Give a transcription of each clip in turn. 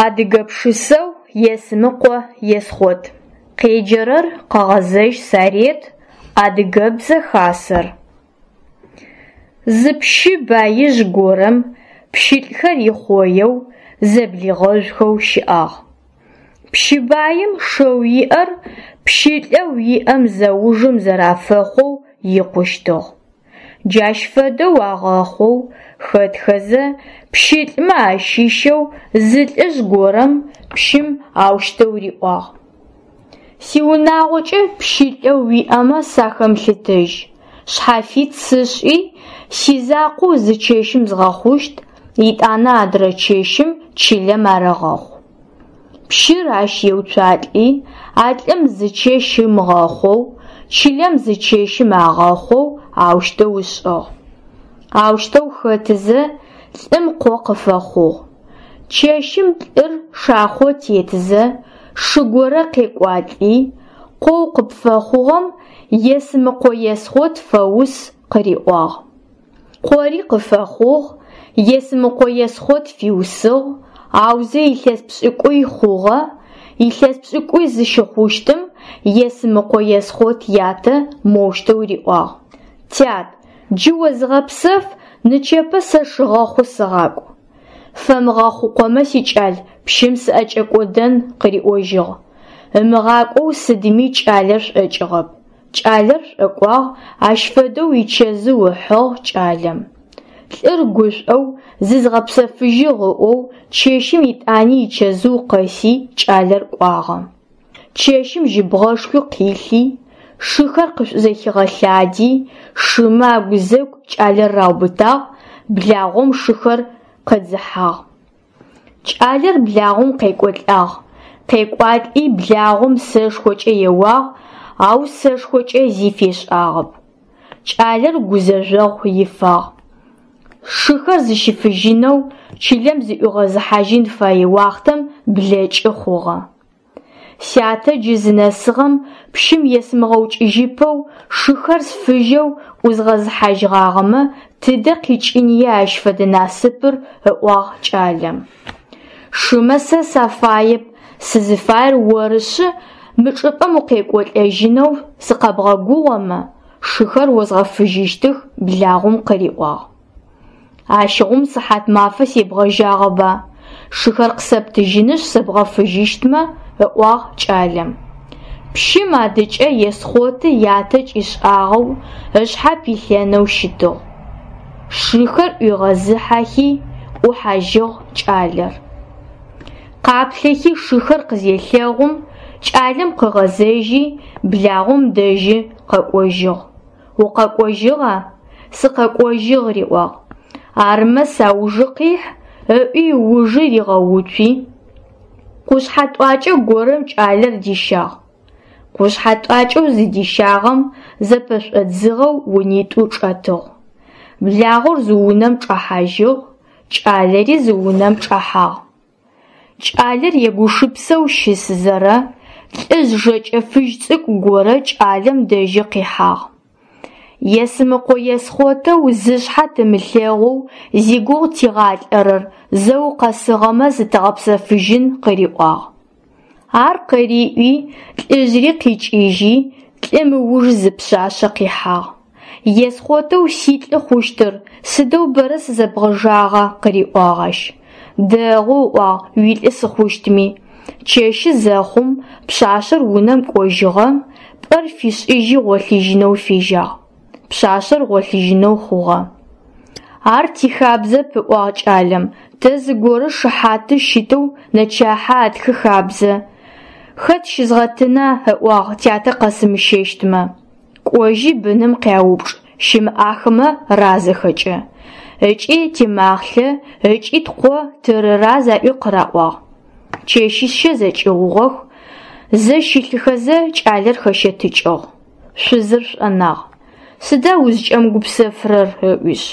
Адыгэ пшысэу Есмыкъо Есхъот. Къеджэрэр Къэгъэзэжь Сарет, Адыгэбзэ Хасэр. Зы пщы баижъ горэм пщылӏхэр ихъоеу, зэблигъэжъухэу щыӏагъ. Пщы баим шэу иӏэр пщылӏэу иӏэм зэужым зэрафэхъоу икъущтыгъ. Джащ фэдэу агъэхъоу хэтхэзэ, пщылӏмэ ащыщэу зы лӏыжъ горэм пщым аущтэу риӏуагъ: Сиунагъокӏэ пщылӏэу уиӏэмэ сахэмылъытэжь, шъхьафит сышӏи, сизакъоу зы чэщым згъэхъущт, етӏанэ адрэ чэщым чылэм арэгъэхъу. Пщыр ащ еуцуалӏи, а лӏым зы чэщ ымыгъэхъоу, чылэм зы чэщым агъэхъоу аущтэу ышӏыгъ. Аущтэу хэтызэ, лӏым къо къыфэхъугъ. Чэщым лӏыр шахъо тетызэ, шы горэ къекӏуалӏи, къоу къыпфэхъугъэм Есмыкъо Есхъот фэус къыриӏуагъ. Къори къыфэхъугъ, Есмыкъо Есхъот фиусыгъ, аузэ илъэс пшӏыкӏуй хъугъэ, илъэс пшӏыкӏуй зыщыхъущтым Есмыкъо Есхъот ятэ моущтэу риӏуагъ: Тят, джы о зыгъэпсэф, нычэпэ сэ шыгъэхъу сыгъакӏу. Фэмыгъэхъукъомэ, сикӏал, пщым сыӏэкӏэкӏодэн, къыриӏожьыгъ. Ымыгъакӏоу сыдми кӏалэр шӏокӏыгъэп. Кӏалэр шӏокӏуагъ, ащ фэдэу ичэзыу ыхьыгъ кӏалэм. Лӏыр гушӏоу, зызгъэпсэфыжьыгъ ыӏоу, чэщым етӏани ичэзыу къэси кӏалэр кӏуагъэ. Чэщым жьыбгъэшхуи къилъи, шыхэр къышӏузэхигъэлъади, шымэ агузэгу кӏалэр раубытагъ, благъом шыхэр къыдзыхьагъ. Кӏалэр благъом къекӏолӏагъ. Къекӏуалӏи благъом сэшхокӏэ еуагъ, ау сэшхокӏэ зи фешӏагъэп. Кӏалэр гузэжъогъу ифагъ. Шыхэр зыщифыжьынэу, чылэм зыӏуигъэзыхьажьын фэе уахътэм блэкӏы хъугъэ. Сятэ джы зынэсыгъэм пщым есымыгъэукӏыжьыпэу шыхэр сфыжьэу ӏузгъэзыхьажьыгъагъэмэ, тыдэ къикӏыния ащ фэдэ насыпыр, ыӏуагъ кӏалэм. Шымэ сэ сафаеп, сызыфаер орышъы, мы чӏыпӏэм укъекӏолӏэжьынэу сыкъэбгъэгугъэмэ, шыхэр озгъэфыжьыщтых, благъом къыриӏуагъ. Ащыгъум сыхьатмафэ себгъэжьагъэба, шыхэр къысэптыжьынышъ сэбгъэфыжьыщтмэ, ыӏуагъ кӏалэм. Пщым адыкӏэ Есхъоты ятэ кӏишӏагъэу ышъхьэ пилъэнэу щытыгъ. Шыхэр ӏуигъэзыхьэхи, ӏухьажьыгъ кӏалэр. Къаплъэхи шыхэр къызелъэгъум, кӏалэм къыгъэзэжьи, благъом дэжьы къэкӏожьыгъ. Укъэкӏожьыгъа? Сыкъэкӏожьыгъ, риӏуагъ. Армэ саужы къихь, ыӏуи ыужы ригъэуцуи, къушъхьэ тӏуакӏэ горэм кӏалэр дищагъ. Къушъхьэ тӏуакӏэу зыдищагъэм зэпэшӏодзыгъэу унитӏу чӏэтыгъ. Благъор зы унэм чӏэхьажьыгъ, кӏалэри зы унэм чӏэхьагъ. Кӏалэр егушыпсэу щысызэрэ, лӏыжъ жэкӏэ фыжь цӏыкӏу горэ кӏалэм дэжьы къихьагъ. Есмыкъо Есхъотэу зышъхьэ тымылъэгъоу зигугъу тигъалӏэрэр зэ укъэсыгъэмэ зытэгъэпсэфыжьын къыриӏуагъ. Ар къыриӏуи, лӏыжъри къикӏыжьи, лӏым ыуж зы пшъашъэ къихьагъ. Есхъотэу силӏы хъущтыр, сыдэу бэрэ сызэбгъэжагъа, къыриӏуагъ ащ. Дэгъу, ыӏуагъ, уилӏы сыхъущтми. Чэщы зэхъум, пшъашъэр унэм кӏожьыгъэ, пӏэр фишӏыжьи гъолъыжьынэу фежьагъ. Пшъашъэр гъолъыжьынэу хъугъэ. Ар тихабзэп, ыӏуагъ кӏалэм, тэ зыгорэ шыхьаты щытэу нэчахьэ атхы хабзэ. Хэт щызгъэтына, ыӏуагъ, тятэ къэсымыщэщтмэ. Кӏожьи быным къяупчӏ, щымыӏахэмэ разэхэкӏэ. Ыкӏи тимахълъэ, ыкӏи ткъо тырыраз аӏуи къыраӏуагъ. Чэщищэ зэкӏыгъугъэх, зэ щылъыхэзэ кӏалэр хэщэтыкӏыгъ. Шъузыр шӏонагъ. Сыда узкӏэмыгупсэфырэр? ыӏуишъ.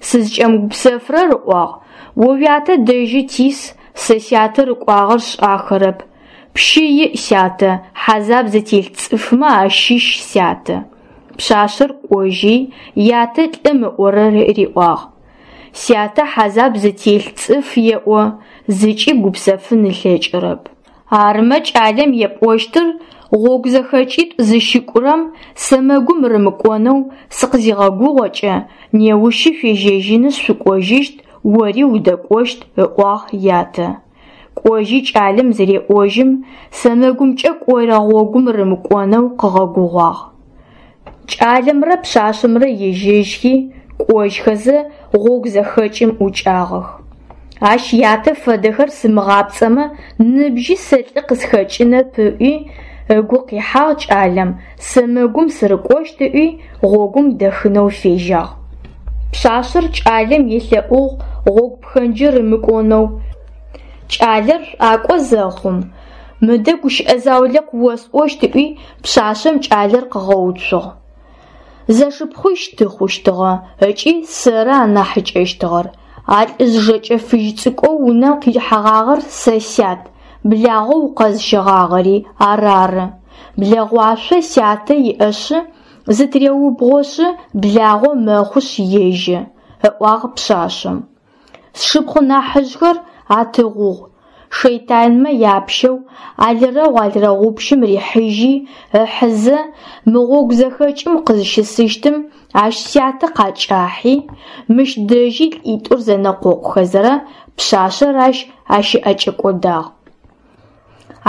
Сызкӏэмыгупсэфырэр, ыӏуагъ, о уятэ дэжьы тис, сэ сятэ рыкӏуагъэр сшӏахэрэп. Пщы иӏ сятэ, хьазаб зытелъ цӏыфмэ ащыщ сятэ. Пшъашъэр кӏожьи, ятэ лӏым ыӏорэр риӏуагъ. Сятэ хьазаб зытелъ цӏыф еӏо, зыкӏи гупсэфын ылъэкӏырэп. Арымэ кӏалэм епӏощтыр, гъогу зэхэкӏитӏу зыщыкӏурэм сэмэгум рымыкӏонэу сыкъызигъэгугъэкӏэ, неущы шъуежьэжьынышъ шъукӏожьыщт, ори удэкӏощт, ыӏуагъ ятэ. Кӏожьи кӏалэм зыреӏожьым, сэмэгумкӏэ кӏорэ гъогум рымыкӏонэу къыгъэгугъуагъ. Кӏалэмрэ пшъашъэмрэ ежьэжьхи, кӏожьхэзэ, гъогу зэхэкӏым ӏукӏагъэх. Ащ ятэ фэдэхэр сымыгъапцӏэмэ, ныбжьи сэ лӏы къысхэкӏынэп ыӏуи, ыгу къихьагъ кӏалэм, сэмэгум сырыкӏощт ыӏуи, гъогум дэхынэу фежьагъ. Пшъашъэр кӏалэм елъэӏугъ гъогу пхэнджы рымыкӏонэу. Кӏалэр шӏуакӏо зэхъум, мыдэ гущыӏэ заулэ къыосӏощт ыӏуи, пшъашъэм кӏалэр къыгъэуцугъ. Зэшыпхъуищ тыхъущтыгъэ ыкӏи сэры анахьыкӏэщтыгъэр. А лӏыжъ жэкӏэ фыжь цӏыкӏоу унэм къихьэгъагъэр сэ сят, благъэу укъэзыщэгъагъэри ар ары. Блэгъуашъо сятэ иӏэшъы, зытыреубгъошъы благъо мэхъушъ ежьэ, ыӏуагъ пшъашъэм. Сшыпхъу нахьыжъхэр атыгъугъ, шэйтанмэ япщэу алырэгъу алырэгъупщым рихьыжьи ыхьызэ, мы гъогу зэхэкӏым къызщысыщтым ащ сятэ къакӏахьи, мыщ дэжьи лӏитӏур зэнэкъокъухэзэрэ пшъашъэр ащ ащыӏэкӏэкӏодагъ.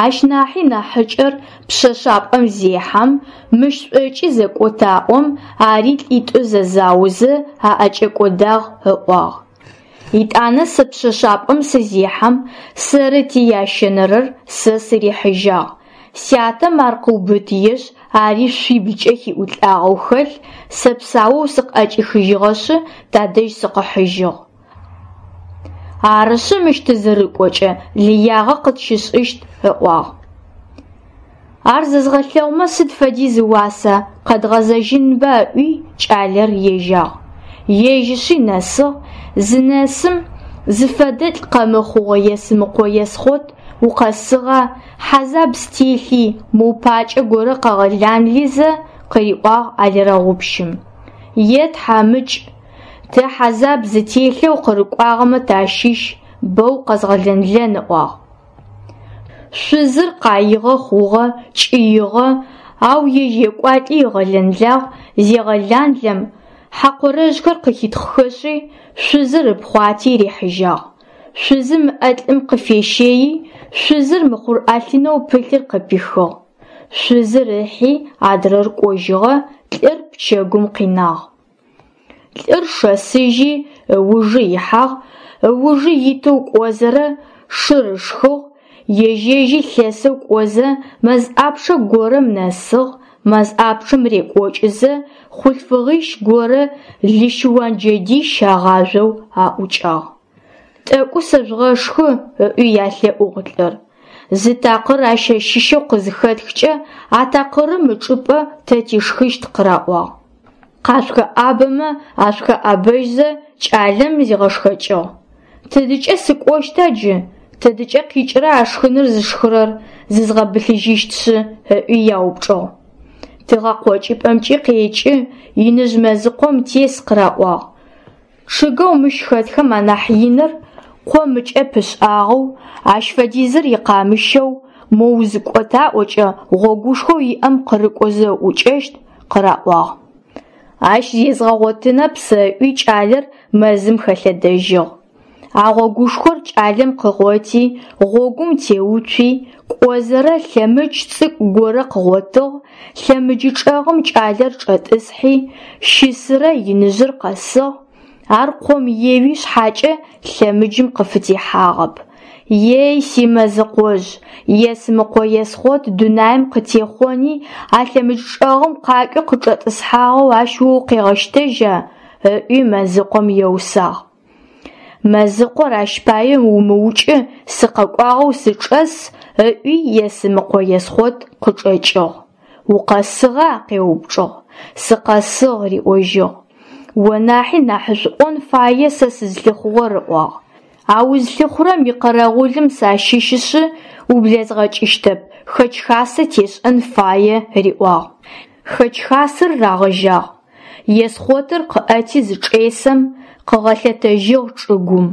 Ащ нахьи нахьыкӏэр пшъэшъапӏэм зехьэм, мыщ шӏокӏи зэкӏотаӏом, ари лӏитӏу зэзаозэ аӏэкӏэкӏодагъ ыӏуагъ. Етӏанэ сэ пшъэшъапӏэм сызехьэм, сэрыти ящэнэрэр сэ сырихьыжьагъ. Сятэм ар къыубытыешъ, ари шъуиблкӏэ хиӏулӏагъэу хэлъ, сэ псаоу сыкъыӏэкӏихыжьыгъэшъы, тадэжь сыкъыхьыжьыгъ. Арышъы мыщ тызырыкӏокӏэ лыягъэ къытщышӏыщт, ыӏуагъ. Ар зэзгъэлъэгъумэ сыд фэдиз ыуаса, къэдгъэзэжьынба ыӏуи, кӏалэр ежьагъ. Ежьышъи нэсыгъ, зынэсым, зыфэдэлӏ къэмыхъугъэ Есымыкъо Есхъот укъэсыгъа, хьазаб стелъи, моу пакӏэ горэ къэгъэланли зэ, къыриӏуагъ алырэгъупщым. Е тхьамыкӏ, тэ хьазаб зытелъэу къырыкӏуагъэмэ тащыщ, бэу къэзгъэлэнлэн ыӏуагъ. Шъузыр къаигъэ хъугъэ, кӏыигъэ, ау ежь екӏуалӏи ыгъэлэнлагъ, зегъэланлэм, хьакъорэжъхэр къыхитхъхэшъи, шъузыр ыпхъуати рихьыжьагъ. Шъузым ыӏэ лӏым къыфещэи, шъузыр мыхъур ӏэлъынэу пылъыр къыпихыгъ. Шъузыр ыхьи, адрэр кӏожьыгъэ, лӏыр пчэгум къинагъ. Лӏыр шэсыжьи, ыужы ихьагъ, ыужы итэу кӏозэрэ шыр ышхыгъ, ежь-ежьи лъэсэу кӏозэ мэз ӏапчъэ горэм нэсыгъ, мэз ӏапчъэм рекӏокӏызэ хъулъфыгъищ горэ лыщыуан джэдищ агъажъоу аӏукӏагъ. Тӏэкӏу сэжъугъэшхы, ыӏуи ялъэӏугъ лӏыр. Зы такъыр ащ щыщэу къызыхэтхкӏэ, а такъырым ычӏыпӏэ тэ тишхыщт къыраӏуагъ. Къашъухэӏабэмэ ашъухэӏабэжьзэ кӏалэм зигъэшхэкӏыгъ. Тыдыкӏэ сыкӏощта джы, тыдыкӏэ къикӏырэ а шхыныр зышхырэр, зызгъэбылъыжьыщтшъы, ыӏуи яупчӏыгъ. Тыгъэ къокӏыпӏэмкӏи къекӏы, иныжъ мэзыкъом тес къыраӏуагъ. Чъыгэу мыщ хэтхэм анахь иныр къом ыкӏэ пышӏагъэу, ащ фэдизыр икъамыщэу, мо узыкӏотаӏокӏэ гъогушхоу иӏэм къырыкӏозэ ыӏукӏэщт, къыраӏуагъ. Ащ зезгъэгъотынэп сэ ыӏуи кӏалэр мэзым хэлъэдэжьыгъ. А гъогушхор кӏалэм къыгъоти, гъогум теуцуи, кӏозэрэ лъэмыдж цӏыкӏу горэ къыгъотыгъ, лъэмыджы чӏэгъым кӏалэр чӏэтӏысхьи, щысырэ иныжъыр къэсыгъ, ар къом еуи шъхьакӏэ лъэмыджым къыфытехьагъэп. Ей, си Мэзыкъожъ, Есмыкъо Есхъот дунаим къытехъони, а лъэмыдж чӏэгъым къакӏуи къычӏэтӏысхьагъэу ащ о укъегъэщтэжьа? ыӏуи Мэзыкъом еусагъ. Мэзыкъор ащ пае умыукӏы, сыкъэкӏуагъэу сычӏэс, ыӏуи Есымыкъо Есхъот къычӏэкӏыгъ. Укъэсыгъа? къеупчӏыгъ. Сыкъэсыгъ, риӏожьыгъ. О нахьи нахьышӏуӏон фае сэ сызлъыхъугъэр, ыӏуагъ. А узлъыхъурэм икъэрэгъулым сащыщышъы, ублэзгъэкӏыщтэп, хэкӏ-хасэ тешӏэн фае, риӏуагъ. Хэкӏ-хасэр рагъэжьагъ. Есхъотыр къыӏэти зычӏесэм, Къыгъэлъэтэжьыгъ чӏыгум.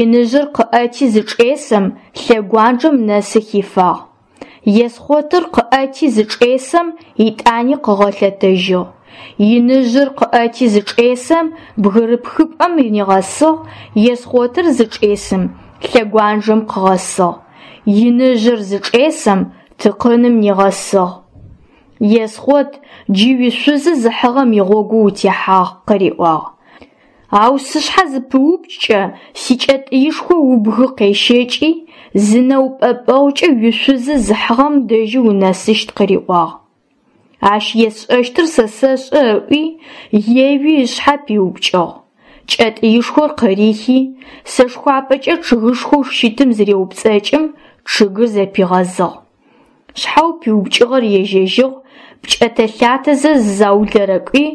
Иныжъыр къыӏэти зычӏесэм, лъэгуанджэм нэсы хифагъ. Есхъотыр къыӏэти зычӏесэм, етӏани къыгъэлъэтэжьыгъ. Иныжъыр къыӏэти зычӏесэм, бгырыпхыпӏэм нигъэсыгъ, Есхъотыр зычӏесым, лъэгуанджэм къыгъэсыгъ. Иныжъыр зычӏесэм, тыкъыным нигъэсыгъ. Есхъот, джы уишъузы зыхьыгъэм игъогу утехьагъ, къыриӏуагъ. Ау сышъхьэ зыпыупкӏкӏэ, сикӏэтӏыишхо убгы къещэкӏи, зы нэупӏэпӏэгъукӏэ уишъузы зыхьыгъэм дэжьы унэсыщт, къыриӏуагъ. Ащ есшӏэщтыр сэ сэшӏэ ыӏуи, еуи ышъхьэ пиупкӏыгъ. Кӏэтӏыишхор къырихи, сэшхуапэкӏэ чъыгышхоу щытым зыреупцӏэкӏым, чъыгыр зэпигъэзыгъ. Шъхьэу пиупкӏыгъэр ежьэжьыгъ, пкӏэтэ-лъатэзэ зы заулэрэ кӏуи,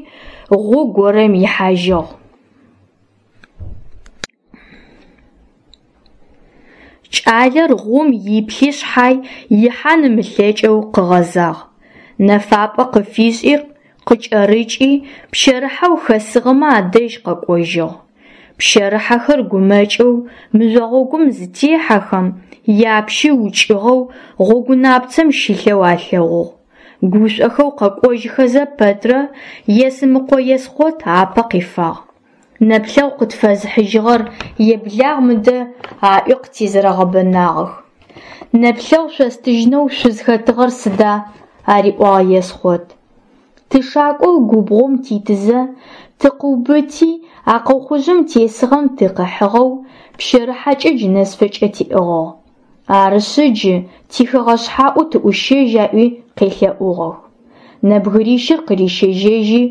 гъу горэм ихьажьыгъ. Кӏалэр гъум иплъи шъхьай ихьан ымылъэкӏэу къыгъэзагъ. Нэфапӏэ къыфишӏи, къыкӏэрыкӏи, пщэрыхьэу хэсыгъэмэ адэжь къэкӏожьыгъ. Пщэрыхьэхэр гумэкӏэу мыжъо гъогум зытехьэхэм, япщы укӏыгъэу гъогунапцэм щылъэу алъэгъугъ. Гушӏохэу къэкӏожьыхэзэ пэтрэ Есымыкъо Есхъот апэ къифагъ. Нэплъэгъу къытфэзыхьыжьыгъэр еблагъ мыдэ аӏуи къытезэрэгъэбэнагъэх. Нэплъэгъу шъостыжьынэу шъузхэтыгъэр сыда? Ариӏуагъ Есхъот. Тышакӏоу губгъом титызэ, тыкъыубыти, а къохъужъым тесыгъэм тыкъыхьыгъэу, пщэрыхьэкӏэ джынэсфэкӏэ тиӏыгъыгъ. Арышъы джы тихэгъэшъхьаӏу тыӏущэжь аӏуи къелъэӏугъэх. Нэбгырищыр къырищэжьэжьи,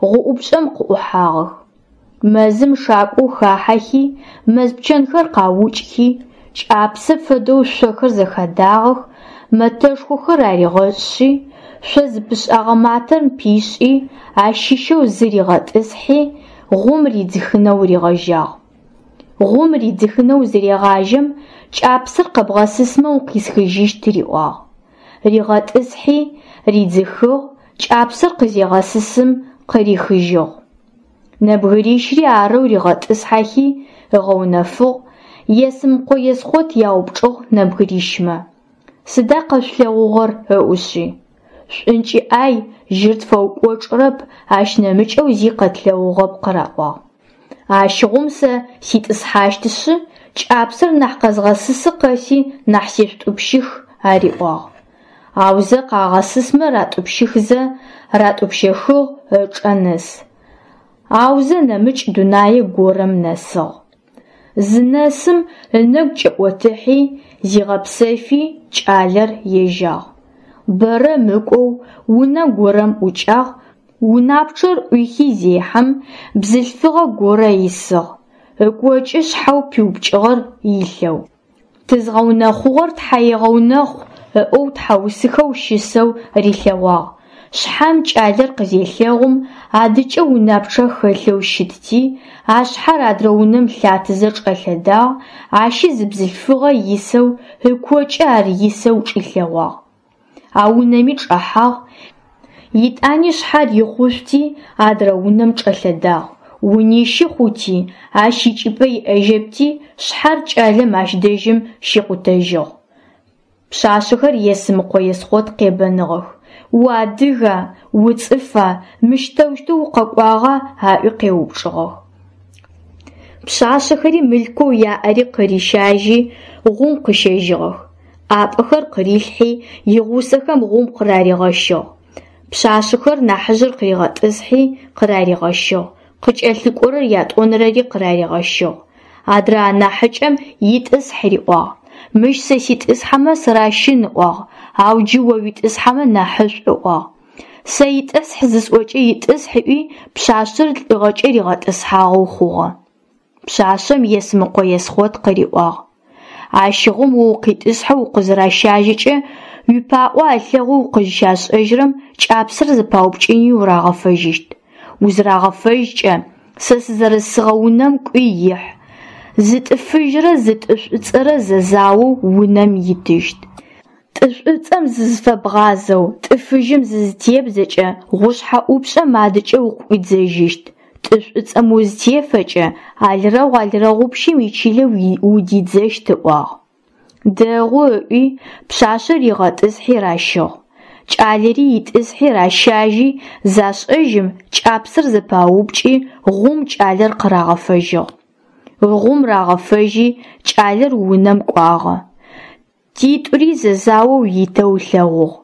гъуӏупшӏэм къыӏухьагъэх. Мэзым шакӏоу хахьэхи, мэз пчэнхэр къаукӏхи, кӏапсэ фэдэу шъохэр зэхадагъэх, мэтэшхохэр аригъэшӏи, шъо зыпышӏагъэ матэм пишӏи, ащыщэу зы ригъэтӏысхьи, гъум ридзыхынэу ригъэжьагъ. Гъум ридзыхынэу зырегъажьэм, кӏапсэр къэбгъэсысмэ укъисхыжьыщт риӏуагъ. Ригъэтӏысхьи, ридзыхыгъ, кӏапсэр къызегъэсысым, къырихыжьыгъ. Нэбгырищри арэу ригъэтӏысхьэхи, ыгъэунэфыгъ, Есымыкъо Есхъот яупчӏыгъ нэбгырищмэ. Сыда къэшъулъэгъугъэр ыӏушъи. Шӏункӏы ӏай, жьыр тфэукӏочӏырэп, ащ нэмыкӏэу зи къэтлъэгъугъэп къыраӏуагъ. Ащыгъум сэ ситӏысхьащтышъы, кӏапсэр нахь къэзгъэсысы къэси нахь сешъутӏупщых, ариӏуагъ. Аузэ къагъэсысмэ ратӏупщыхзэ, ратӏупщэхыгъ ычӏэ нэс. Аузэ нэмыкӏ дунае горэм нэсыгъ. Зынэсым ынэгу кӏэӏотыхьи, зигъэпсэфи, кӏалэр ежьагъ. Бэрэ мыкӏоу унэ горэм ӏукӏагъ, унапчъэр ӏуихи зехьэм, бзылъфыгъэ горэ исыгъ, ыкокӏы шъхьэу пиупкӏыгъэр илъэу. Тызгъэунэхъугъэр тхьаегъэунэхъу ыӏоу тхьаусыхэу щысэу рилъэгъуагъ. Шъхьэм кӏалэр къызелъэгъум, адыкӏэ унапчъэ хэлъэу щытти, а шъхьэр адрэ унэм лъатэзэ чӏэлъэдагъ, ащи зы бзылъфыгъэ исэу, ыкокӏы ар исэу чӏилъэгъуагъ. А унэми чӏэхьагъ, етӏани шъхьэр ихъушъути, адрэ унэм чӏэлъэдагъ. Унищы хъути, ащ икӏыпӏэ иӏэжьэпти, шъхьэр кӏалэм ащ дэжьым щикъутэжьыгъ. Пшъашъэхэр Есымыкъо Есхъот къебэныгъэх. Уадыга, уцӏыфа, мыщ тэущтэу укъэкӏуагъа аӏуи къеупчӏыгъэх. Пшъашъэхэри мылъкоу яӏэри къырищажьи, гъум къыщэжьыгъэх. ӏапӏэхэр къырилъхьи, игъусэхэм гъум къыраригъэщыгъ. Пшъашъэхэр нахьыжъыр къыригъэтӏысхьи, къыраригъэщыгъ, къыкӏэлъыкӏорэр ятӏонэрэри къыраригъэщыгъ. Адрэ анахьыкӏэм итӏысхь риӏуагъ. Мыщ сэ ситӏысхьэмэ сыращын ыӏуагъ, ау джы о уитӏысхьэмэ нахьышӏу ыӏуагъ. Сэ итӏысхь зысӏокӏэ итӏысхь ыӏуи, пшъашъэр лӏыгъэкӏэ ригъэтӏысхьагъэу хъугъэ. Пшъашъэм Есымыкъо Есхъот къыриӏуагъ. Ащыгъум о укъитӏысхьэу укъызыращажьэкӏэ, уипаӏо алъэгъоу укъызщашӏэжьырэм кӏапсэр зэпаупкӏыни урагъэфэжьыщт. Узырагъэфэжькӏэ, сэ сызэрысыгъэ унэм кӏуи ихь. Зы тӏы фыжьрэ зы тӏы шӏуцӏэрэ зэзаоу унэм итыщт. Тӏы шӏуцӏэм зызыфэбгъазэу, тӏы фыжьым зызытебдзэкӏэ, гъушъхьэ ӏупшӏэм адыкӏэ укъыӏуидзэжьыщт. Тӏы шӏуцӏэм узытефэкӏэ, алрэгъу алрэгъупщым ичылэ удидзэщт, ыӏуагъ. Дэгъу, ыӏуи, пшъашъэр ригъэтӏысхьи ращыгъ. Кӏалэри итӏысхьи ращажьи, зашӏэжьым, кӏапсэр зэпаупкӏи, гъоум кӏалэр къырагъэфэжьыгъ. Гъоум рагъэфэжьи, кӏалэр унэм кӏуагъэ. Титӏури зэзаоу итэу ылъэгъугъ.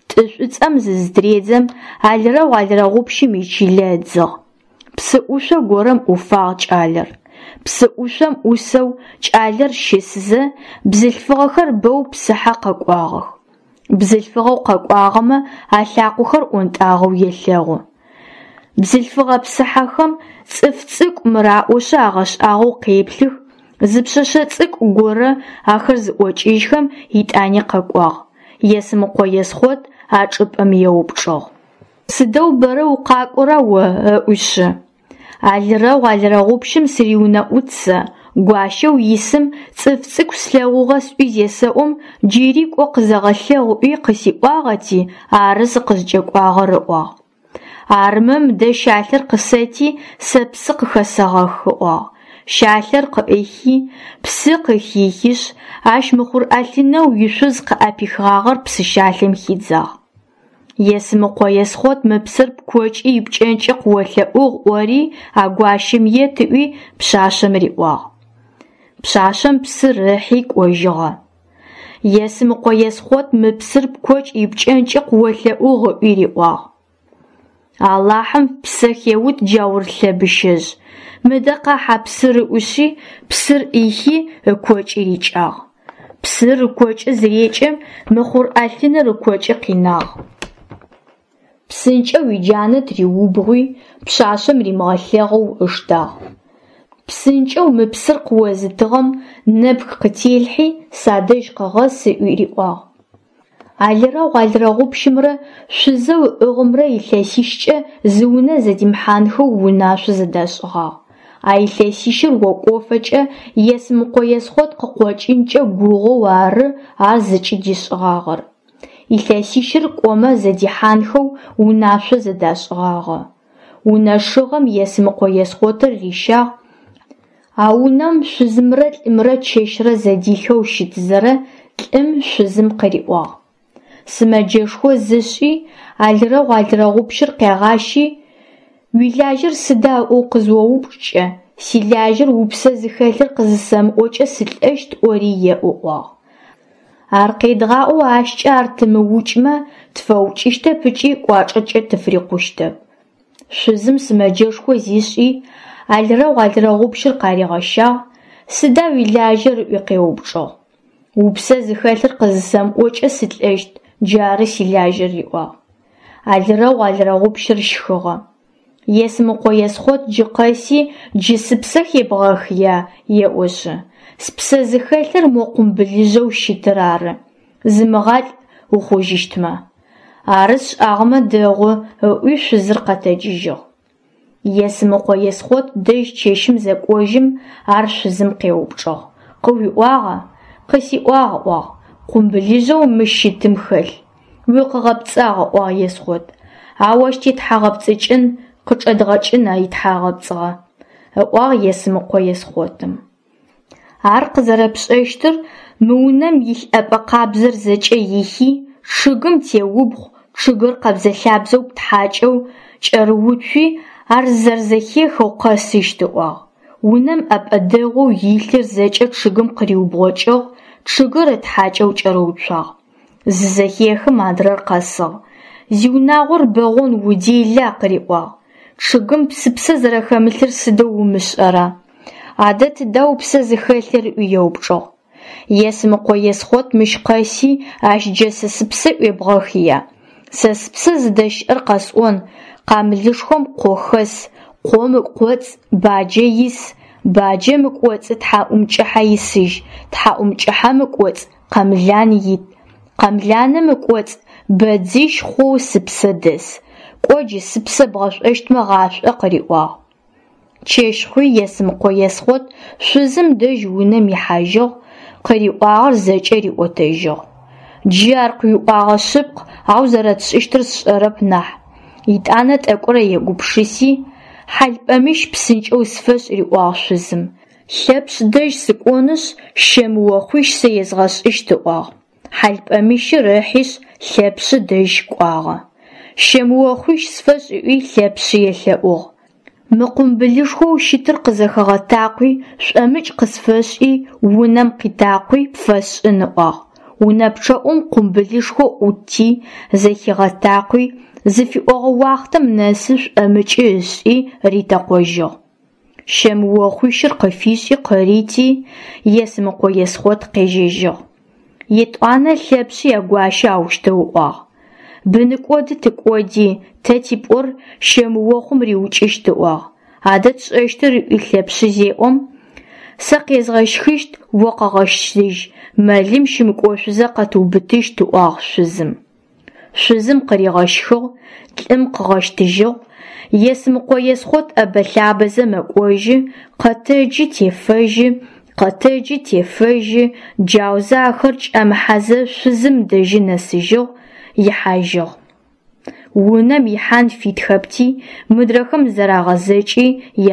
Тӏы шӏуцӏэм зызытыредзэм, алрэгъу алрэгъупщым ичылэ ыдзыгъ. Псы ӏушъо горэм ӏуфагъ кӏалэр. Псы ӏушъом ӏусэу кӏалэр щысызэ, бзылъфыгъэхэр бэу псыхьэ къэкӏуагъэх. Бзылъфыгъэу къэкӏуагъэмэ алъакъохэр ӏонтӏагъэу елъэгъу. Бзылъфыгъэ псыхьэхэм цӏыф цӏыкӏу мыр аӏошъы агъэшӏагъоу къеплъых, зы пшъэшъэ цӏыкӏу горэ ахэр зыӏокӏыжьхэм итӏани къэкӏуагъ. Есмыкъо Есхъот а чӏыпӏэм еупчӏыгъ. Сыдэу бэрэ укъакӏора о? ыӏуишъы. Алрэгъу алрэгъупщым сыриунэӏут сэ, гуащэу исым цӏыф цӏыкӏу слъэгъугъэ сӏуи зесэӏом, джыри кӏо къызэгъэлъэгъу ыӏуи къысиӏуагъэти, ары сыкъызкӏэкӏуагъэр, ыӏуагъ. Армэ мыдэ щалъэр къысэти, сэ псы къыхэсэгъэх, ыӏуагъ. Щалъэр къыӏихи, псы къыхихишъ, ащ мыхъур ӏэлъынэу ишъуз къыӏэпихыгъагъэр псы щалъэм хидзагъ. Есмыкъо Есхъот мы псыр пкокӏи ипкӏэнкӏи къыолъэӏугъ ӏори а гуащэм ет ыӏуи пшъашъэм риӏуагъ. Пшъашъэм псыр ыхьи кӏожьыгъэ. Есмыкъо Есхъот мы псыр пкокӏ ипкӏэнкӏи къыолъэӏугъ ыӏуи риӏуагъ. Алахьым ппсэ хеут джаур лъэбыщэжъ, мыдэ къахь а псыр ыӏуишъи, псыр ӏихи ыкокӏы рикӏагъ. Псыр ыкокӏы зырекӏэм, мыхъур ӏэлъыныр ыкокӏы къинагъ. Псынкӏэу иджанэ тыриубгъуи, пшъашъэм римыгъэлъэгъоу ыштагъ. Псынкӏэу мы псыр къыозытыгъэм нэпх къытелъхьи, садэжь къэгъэс ыӏуи риӏуагъ. Алрэгъу алрэгъупщымрэ шъузэу ыӏыгъымрэ илъэсищкӏэ зы унэ зэдимыхьанхэу унашъо зэдашӏыгъагъ. А илъэсищыр окӏофэкӏэ Есмыкъо Есхъот къыкъокӏынкӏэ гугъэу ары ар зыкӏыдишӏыгъагъэр. Илъэсищыр кӏомэ зэдихьанхэу унашъо зэдашӏыгъагъэ. Унэ шыгъэм Есмыкъо Есхъотыр рищагъ, а унэм шъузымрэ лӏымрэ чэщрэ зэдилъхэу щытызэрэ лӏым шъузым къыриӏуагъ: Сымэджэшхо зышӏи, алрэгъу алрэгъупщыр къегъащи, уилажьэр сыда ыӏоу къызыоупчӏкӏэ, силажьэр упсэ зыхэлъыр къызысэмыӏокӏэ сылӏэщт ӏори еӏу, ыӏуагъ. Ар къедгъаӏоу ащкӏэ ар тымыукӏмэ, тфэукӏыщтэп ыкӏи кӏуачӏэкӏэ тыфрикъущтэп. Шъузым сымэджэшхо зишӏи, алрэгъу алрэгъупщыр къаригъэщагъ, сыда уилажьэр ыӏуи къеупчӏыгъ. Упсэ зыхэлъыр къызысэмыӏокӏэ сылӏэщт, джары силажьэр, риӏуагъ. Алрэгъу алрэгъупщыр щхыгъэ. Есмыкъо Есхъот джы къэси джы сыпсэ хебгъэхыя, еӏошъы. Спсэ зыхэлъыр мо къумбылыжъэу щытыр ары. Зымыгъалӏ ухъужьыщтмэ. Ары сшӏагъэмэ дэгъу, ыӏуи шъузыр къэтэджыжьыгъ. Есмыкъо Есхъот дэжь чэщым зэкӏожьым, ар шъузым къеупчӏыгъ: Къыуиӏуагъа? Къысиӏуагъ, ыӏуагъ, къумбылыжъэу мыщ щытым хэлъ. Укъыгъэпцӏагъ, ыӏуагъ Есхъот. Ау ащ тетхьагъэпцӏыкӏын, къычӏэдгъэкӏын итхьагъэпцӏыгъэ, ыӏуагъ Есмыкъо Есхъотым. Ар къызэрэпшӏэщтыр мы унэм илъ ӏэпӏэ къабзэр зэкӏэ ихи, чъыгым теубгъу, чъыгыр къэбзэ-лъабзэу птхьакӏэу, кӏэрыуцуи, ар зэрэзэхехэу къэсыщт, ыӏуагъ. Унэм ӏэпӏэ дэгъоу илъыр зэкӏэ чъыгым къыриубгъокӏыгъ, чъыгыр ытхьакӏэу кӏэрыуцуагъ. Зызэхехым адрэр къэсыгъ. Зиунагъор бэгъон удела, къыриӏуагъ. Чъыгым сыпсэ зэрэхэмылъыр сыдэу умышӏэра? Адэ тыда упсэ зыхэлъыр ыӏуи еупчӏыгъ. Есмыкъо Есхъот мыщ къэси, ащ джэ сэ сыпсэ ӏуебгъэхыя? Сэ спсэ зыдэщыӏэр къэсӏон, къамылышхом къо хэс, къом ыкӏоцӏ баджэ ис, баджэм ыкӏоцӏы тхьакӏумкӏыхьэ исыжь, тхьакӏумкӏыхьэм ыкӏоцӏ къэмлан ит, къэмланым ыкӏоцӏ бэдзищ хъоу сыпсэ дэс. Кӏо джы сыпсэ бгъэшӏощтмэ гъашӏо, къыриӏуагъ. Чэщ хъуи Есмыкъо Есхъот шъузым дэжь унэм ихьажьыгъ, къыриӏуагъэр зэкӏэ риӏотэжьыгъ. Джы ар къыуиӏуагъэ шъыпкъ, ау зэрэтшӏыщтыр сшӏэрэп нахь. Етӏанэ тӏэкӏурэ егупшыси. Хьалпӏэмыщ псынкӏэу сфэшӏ, риӏуагъ шъузым. Лъэпшъ дэжь сыкӏонышъ, щэмыохъуищ сэ езгъэшӏыщт, ыӏуагъ. Хьалпӏэмыщыр ыхьышъ, Лъэпшъы дэжь кӏуагъэ. Щэмыохъуищ сфэшӏ ыӏуи Лъэпшъы елъэӏугъ. Мы къумбылышхоу щытыр къызэхэгъэтакъуи, шӏомыкӏ къысфэшӏи, унэм къитакъуи, пфэсшӏын, ыӏуагъ. Унэ пчъэӏум къумбылышхо ӏутти, зэхигъэтакъуи, зыфиӏогъэ уахътэм нэсы шӏомыкӏы ышӏи ритэкъожьыгъ. Щэмыохъуищыр къыфишӏи къырити, Есмыкъо Есхъот къежьэжьыгъ. Етӏуанэ Лъэпшъы ягуащэ аущтэу ыӏуагъ: Быныкӏоды тыкӏоди, тэ типӏор щэмыохъум риукӏыщт, ыӏуагъ. Адэ тшӏэщтыр ыӏуи Лъэпшъы зеӏом, сэ къезгъэщхыщт, о къэгъэщтыжь, мэлым щымыкӏошъузэ къэтыубытыщт, ыӏуагъ шъузым. Шъузым къыригъэщхыгъ, лӏым къыгъэщтыжьыгъ. Есмыкъо Есхъот ӏэбэ-лъабэзэ мэкӏожьы, къэтэджы тефэжьы, къэтэджы тефэжьы, джаузэ ахэр кӏэмыхьэзэ шъузым дэжьы нэсыжьыгъ, ихьажьыгъ. Унэм ихьан фитхэпти, мыдрэхэм зэрагъэзэкӏи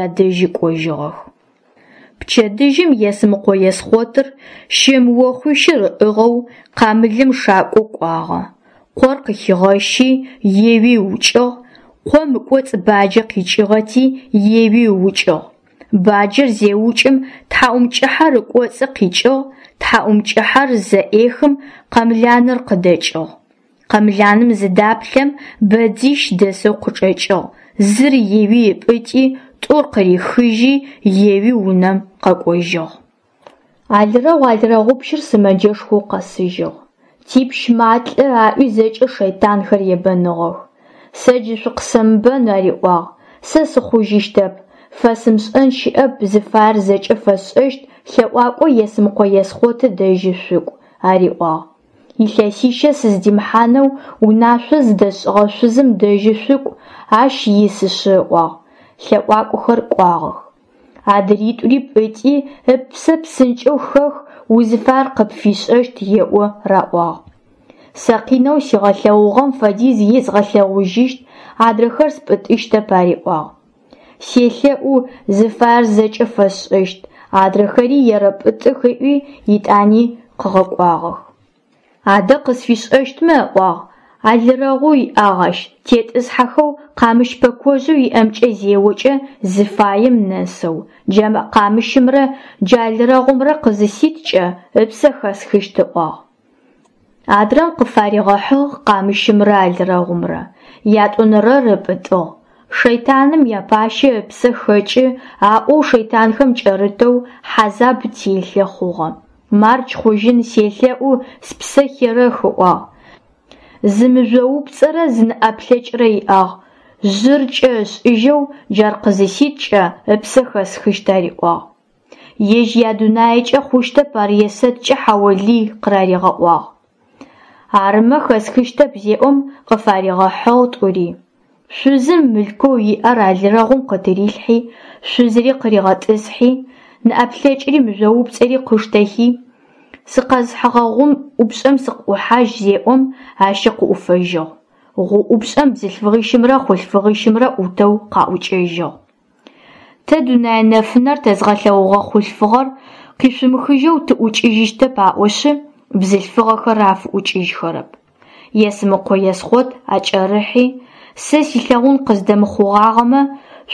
ядэжьы кӏожьыгъэх. Пчэдыжьым Есмыкъо Есхъотыр щэмыохъуищыр ыӏыгъэу къамылым шакӏо кӏуагъэ. Къор къыхигъэщи, еуи ыукӏыгъ, къом ыкӏоцӏ баджэ къикӏыгъэти, еуи ыукӏыгъ. Баджэр зеукӏым тхьаӏумкӏыхьэр ыкӏоцӏы къикӏыгъ, тхьаӏумкӏыхьэр зэӏехым къэмланыр къыдэкӏыгъ. Къэмланым зыдаплъэм бэдзищ дэсэу къычӏэкӏыгъ, зыр еуи ыпӏытӏи, тӏур къырихыжьи, еуи унэм къэкӏожьыгъ. Алрэгъу алрэгъупщыр сымэджэшхоу къэсыжьыгъ. Типщ малӏэ аӏуи зэкӏэ шэйтанхэр ебэныгъэх. Сэ джы шъукъысэмыбэн, ариӏуагъ, сэ сыхъужьыщтэп, фэсымышӏэн щыӏэп, зыфаер зэкӏэ фэсшӏэщт, лъэӏуакӏо Есмыкъо Есхъоты дэжьы шъукӏу, ариӏуагъ. Илъэсищэ сыздимыхьанэу унашъо зыдэсшӏыгъэ шъузым дэжьы шъукӏу, ащ исышъы, ыӏуагъ. Лъэӏуакӏохэр кӏуагъэх. Адритӏури пӏытӏи, ыпсэ псынкӏэу хэх, узыфаер къыпфишӏэщт еӏо, раӏуагъ. Сэ къинэу сигъэлъэгъугъэм фэдиз езгъэлъэгъужьыщт, адрэхэр спӏытӏыщтэп, ариӏуагъ. Селъэӏу, зыфаер зэкӏэ фэсшӏэщт, адрэхэри ерэпӏытӏых ыӏуи, етӏани къыгъэкӏуагъэх. Адэ къысфишӏэщтмэ, ыӏуагъ, алрэгъу иӏагъ ащ, тетӏысхьэхэу къамыщ пэкожъэу иӏэмкӏэ зеокӏэ зыфаем нэсэу, джа къамыщымрэ джа алрэгъумрэ къызыситкӏэ ыпсэ хэсхыщт, ыӏуагъ. Адрэм къыфаригъэхьыгъ къамыщымрэ алрэгъумрэ, ятӏонэрэр ыпӏытӏыгъ. Шэйтаным япащэ ыпсэ хэкӏы аӏоу шэйтанхэм кӏэрытэу хьазаб телъэ хъугъэ. Мардж хъужьын селъэӏу, спсэ херэх, ыӏуагъ. Зы мыжъоупцӏэрэ зы нэӏэплъэкӏрэ иӏагъ, жъыр кӏэ ышӏыжьэу джар къызыситкӏэ ыпсэ хэсхыщт, ариӏуагъ. Ежь ядунаекӏэ хъущтэп ар есэткӏэ хьаолый къыраригъэӏуагъ. Арымэ хэсхыщтэп зеӏом, къыфаригъэхьыгъ тӏури. Шъузым мылъкоу иӏэр алрэгъум къытырилъхьи, шъузыри къыригъэтӏысхьи, нэӏэплъэкӏри мыжъоупцӏэри къыштэхи, сыкъэзыхьыгъэ гъум ӏупшӏэм сыкъыӏухьажь зеӏом, ащи къыӏуфэжьыгъ. Гъу ӏупшӏэм бзылъфыгъищымрэ хъулъфыгъищымрэ ӏутэу къаӏукӏэжьыгъ. Тэ дунэе нэфынэр тэзгъэлъэгъугъэ хъулъфыгъэр къишъумыхыжьэу тыӏукӏыжьыщтэп аӏошъы, бзылъфыгъэхэр афыӏукӏыжьхэрэп. Есмыкъо Есхъот акӏэрыхьи, сэ силъэгъун къыздэмыхъугъагъэмэ,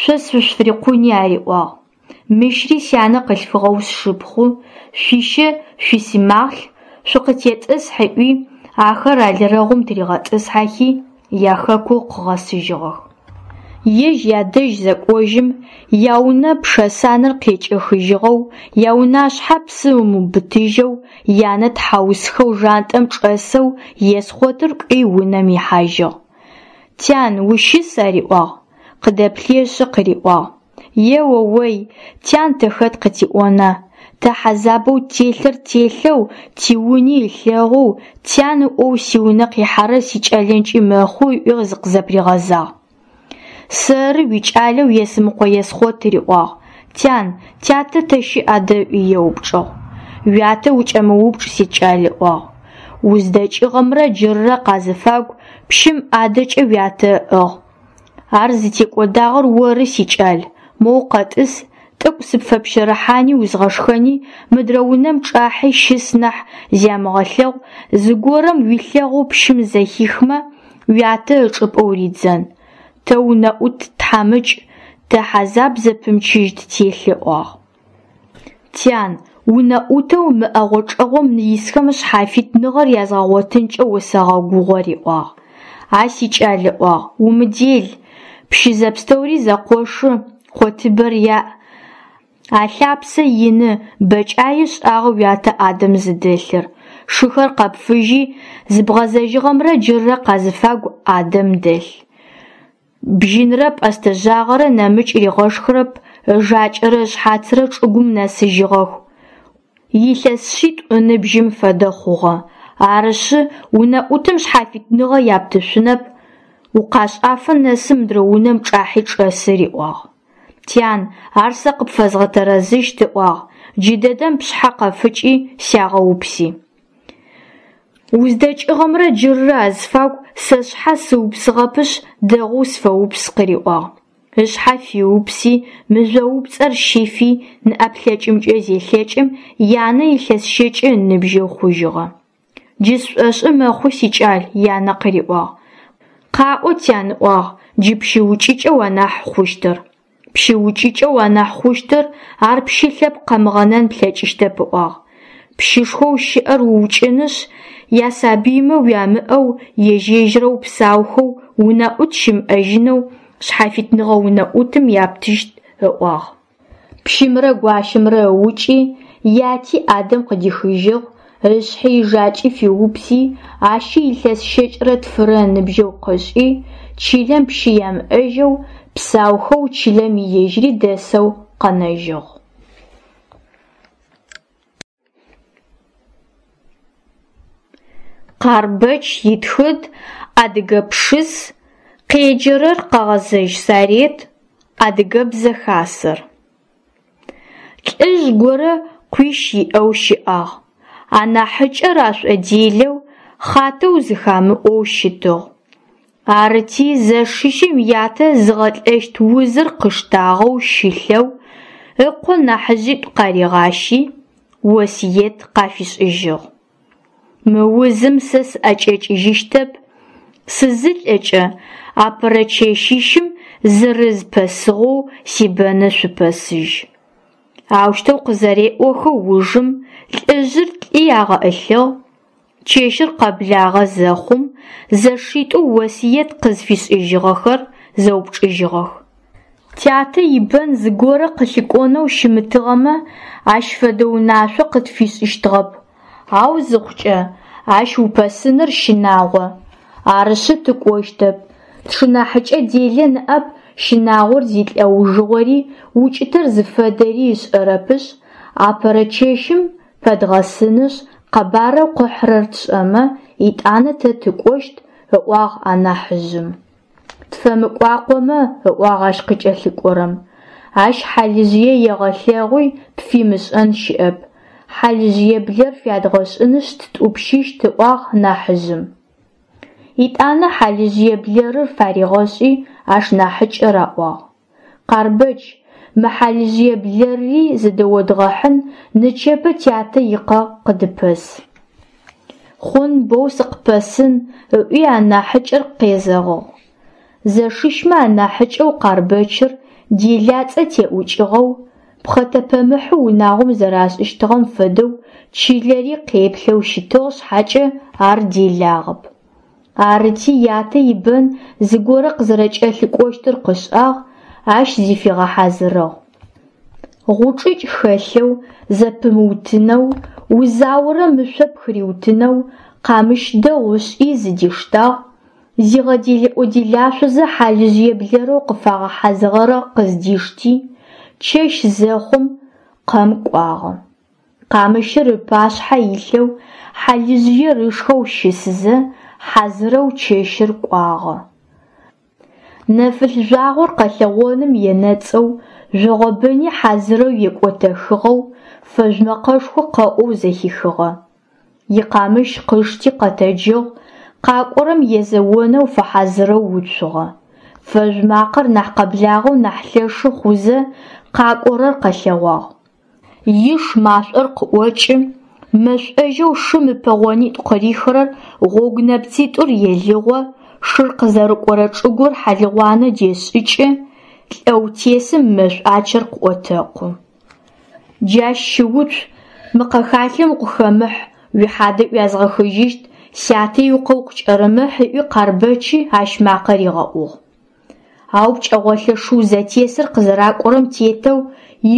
шъо сышъуфырикъуни ариӏуагъ. Мыщри сянэ къылъфыгъэу сшыпхъу, шъуищэ шъуисымахълъ, шъукъытетӏысхь ыӏуи, ахэр алрэгъум тыригъэтӏысхьэхи, яхэку къыгъэсыжьыгъэх. Ежь ядэжь зэкӏожьым, яунэ пшэсанэр къекӏэхыжьыгъэу, яунашъхьэ псы ымыубытыжьэу, янэ тхьаусхэу жантӏэм чӏэсэу Есхъотыр кӏуи унэм ихьажьыгъ. Тян, ущыс? ариӏуагъ. Къыдэплъыешъы къыриӏуагъ: Еоой, тян тэ хэт къытиӏона? Тэ хьазабэу ттелъыр ттелъэу, тиуни ылъэгъоу, тян ыӏоу сиунэ къихьэрэр сикӏэлэнкӏи мэхъу, ыӏуи зыкъызэпригъэзагъ. Сэры уикӏалэу Есмыкъо Есхъот, риӏуагъ. Тян, тятэ тэ щыӏ адэ ыӏуи еупчӏыгъ. Уятэ укӏэмыупчӏ, сикӏал, ыӏуагъ. Уздэкӏыгъэмрэ джыррэ къазыфагу пщым ӏадэкӏэ уятэ ыӏыгъ. Ар зытекӏодагъэр оры, сикӏал, моу къэтӏыс, тӏэкӏу сыпфэпщэрыхьани узгъэшхэни, мыдрэ унэм чӏахьи щыс нахь зямыгъэлъэгъу, зыгорэм уилъэгъоу пщым зэхихмэ, уятэ ычӏыпӏэ уридзэн. Тэ унэӏут тхьамыкӏ, тэ хьазаб зэпымчыжь ттелъ, ыӏуагъ. Тян, унэӏутэу мы ӏэгъо-чӏэгъом исхэм шъхьафитныгъэр язгъэгъотынкӏэ усэгъэгугъэ, риӏуагъ. А сикӏал, ыӏуагъ, умыдел, пщы зэпстэури зэкъошы, къотыбэр яӏ, алъапсэ ины, бэкӏае шӏагъэ уятэ ӏадэм зыдэлъыр. Шыхэр къэпфыжьи, зыбгъэзэжьыгъэмрэ джыррэ къазыфагу ӏадэм дэлъ. Бжьынрэ пӏэстэ жъагъэрэ нэмыкӏ ригъэшхырэп, ыжакӏэрэ ышъхьацрэ чӏыгум нэсыжьыгъэх. Илъэс шъитӏу ыныбжьым фэдэ хъугъэ. Арышъы, унэӏутым шъхьафитныгъэ яптышъунэп, укъашӏафэ нэсы мыдрэ унэм чӏахьи чӏэсы, риӏуагъ. Тян, ар сэ къыпфэзгъэтэрэзыщт, ыӏуагъ, джыдэдэм пшъхьэ къэфыкӏи сягъэупси. Уздэкӏыгъэмрэ джыррэ азыфагу сэ сшъхьэ сыупсыгъэпышъ, дэгъоу сфэупс, къыриӏуагъ. Ышъхьэ фиупси, мыжъоупцӏэр щифи, нэӏэплъэкӏымкӏэ зелъэкӏым, янэ илъэс щэкӏы ыныбжьэу хъужьыгъэ. Джы сшӏошъы мэхъу, сикӏал, янэ къыриӏуагъ. Къаӏо, тян, ыӏуагъ, джы пщы укӏыкӏэу анахь хъущтыр. Пщы укӏыкӏэу анахь хъущтыр, ар пщы лъэпкъ къэмыгъэнэн плъэкӏыщтэп, ыӏуагъ. Пщышхоу щыӏэр уукӏынышъ, ясабыймэ уямыӏэу, ежь-ежьырэу псаухэу, унэӏут щымыӏэжьынэу, шъхьафитныгъэ унэӏутым яптыщт, ыӏуагъ. Пщымрэ гуащэмрэ ыукӏи, яти ӏадэм къыдихыжьыгъ, ышъхьи ыжакӏи фиупси, ащи илъэс щэкӏрэ тфырэ ыныбжьэу къышӏи, чылэм пщы ямыӏэжьэу, псаухэу чылэм ежьыри дэсэу къэнэжьыгъ. Къарбэч итхыд, Адыгэ пшыс, къеджэрэр Къэгъэзэжь Сарет, Адыгэбзэ Хасэр. Лӏыжъ горэ къуищ иӏэу щыӏагъ. Анахьыкӏэр ашӏоделэу, хъатэу зыхамыӏоу щытыгъ. Арыти, зэшищым ятэ зыгъэлӏэщт узыр къыштагъэу щылъэу, ыкъо нахьыжъитӏу къаригъащи, осыет къафишӏыжьыгъ. Мы узым сэ сыӏэкӏэкӏыжьыщтэп, сызылӏэкӏэ, апэрэ чэщищым зырыз пэсыгъэу сибэны шъупэсыжь. Аущтэу къызэреӏохэ ужым лӏыжъыр лӏи агъэӏылъыгъ. Чэщыр къэблагъэ зэхъум, зэшитӏоу осыет къызфишӏыжьыгъэхэр зэупчӏыжьыгъэх. Тятэ ибэн зыгорэ къылъыкӏонэу щымытыгъэмэ, ащ фэдэ унашъо къытфишӏыщтыгъэп. Ау зыхъукӏэ, ащ упэсыныр щынагъо. Арышъы тыкӏощтэп. Тшынахьыкӏэ делэ ныӏэп щынагъор зилӏэужыгъори, укӏытэр зыфэдэри ышӏэрэпышъ, апэрэ чэщым пэдгъэсынышъ, къэбарэу къыхьырэр тшӏэмэ, етӏанэ тэ тыкӏощт, ыӏуагъ анахьыжъым. Тфэмыкӏуакъомэ, ыӏуагъ ащ къыкӏэлъыкӏорэм. Ащ хьалыжъые егъэлъэгъуи, пфимышӏэн щыӏэп. Хьалыжъые блэр фядгъэшӏынышъ ттӏупщыщт, ыӏуагъ нахьыжъым. Етӏанэ хьалыжъые блэрыр фаригъэшӏи, ашнахьыкӏэ раӏуагъ. Къарбэч, мы хьалыжъые блэрри зыдэодгъэхьын, нычэпэ тятэ икъэ къыдыпэс. Хъун, боу сыкъыпэсын, ыӏуи анахьыкӏэр къезэгъыгъ. Зэшищмэ анахьыкӏэу Къарбэчыр делацӏэ теӏукӏыгъэу, пхъэтэпэмыхьы унагъом зэрашӏыщтыгъэм фэдэу чылэри къеплъэу щытыгъ шъхьакӏэ ар делагъэп. Арыти, ятэ ибэн зыгорэ къызэрэкӏэлъыкӏощтыр къышӏагъ, ащ зыфигъэхьазырыгъ. Гъучӏыкӏ хэлъэу, зэпымыутынэу, узаорэм ышъо пхыриутынэу къамыщ дэгъу ышӏи зыдиштагъ, зигъэделэӏо-делашъозэ хьалыжъые блэрэу къыфагъэхьазырыгъэр къыздишти, чэщ зэхъум, къэм кӏуагъэ. Къамыщыр ыпашъхьэ илъэу, хьалыжъыер ышхэу щысызэ, хьазырэу чэщыр кӏуагъэ. Нэфылъ жъуагъор къэлъэгъоным енэцӏэу, жъогъобыни хьазырэу екӏотэхыгъэу, фэжъу мэкъэшхо къэӏоу зэхихыгъэ. Икъамыщ къышти къэтэджыгъ, къакӏорэм езэонэу фэхьазырэу уцугъэ. Фэжъу макъэр нахь къэблагъэу нахь лъэшы хъузэ, къакӏорэр къэлъэгъуагъ. Иш машӏор къыӏокӏы, мэшӏожьэу шым ыпэгъонитӏу къырихырэр гъогу нэпцитӏур елыгъо, шыр къызэрыкӏорэ чӏыгур хьалыгъуанэ дешӏыкӏы, лӏэу тесым мэшӏуачэр къыӏотэкъу. Джащ щыуцу, мы къэхалъэм укъыхэмыхь, уихьадэ ӏуязгъэхыжьыщт, сятэ икъэ укъыкӏэрымыхь ыӏуи Къарбэчи ащ макъэ ригъэӏугъ. Ау пкӏэгъолэ шыу зэтесыр къызэракӏорэм тетэу,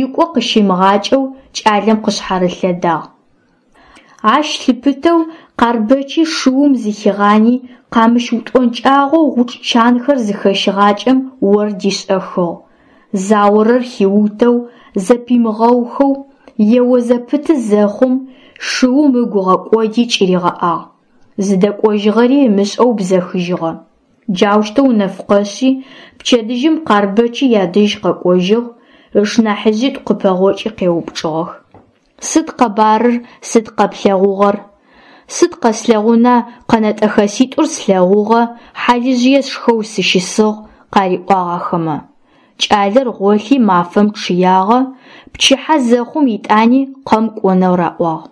икӏо къыщимыгъакӏэу кӏалэм къышъхьарылъэдагъ. Ащ лъыпытэу Къарбэчи шыум зыхигъани, къамыщ утӏонкӏагъэу гъучӏ чанхэр зыхэщыгъакӏэм ор дишӏэхыгъ. Заорэр хиутэу, зэпимыгъэухэу, ео зэпыты зэхъум, шыум ыгу ыгъэкӏоди кӏыригъэӏагъ. Зыдэкӏожьыгъэри ымышӏэу бзэхыжьыгъэ. Джаущтэу нэф къэшъи, пчэдыжьым Къарбэчи ядэжь къэкӏожьыгъ, ышнахьыжъитӏу къыпэгъокӏи къеупчӏыгъэх. Сыд къэбарыр, сыд къэплъэгъугъэр? Сыд къэслъэгъуна, къэнэтӏэхэситӏур слъэгъугъэ, хьалыжъые сшхэу сыщысыгъ, къариӏуагъ ахэмэ. Кӏалэр гъолъи мафэм чъыягъэ, пчыхьэ зэхъум итӏани къэм кӏонэу раӏуагъ.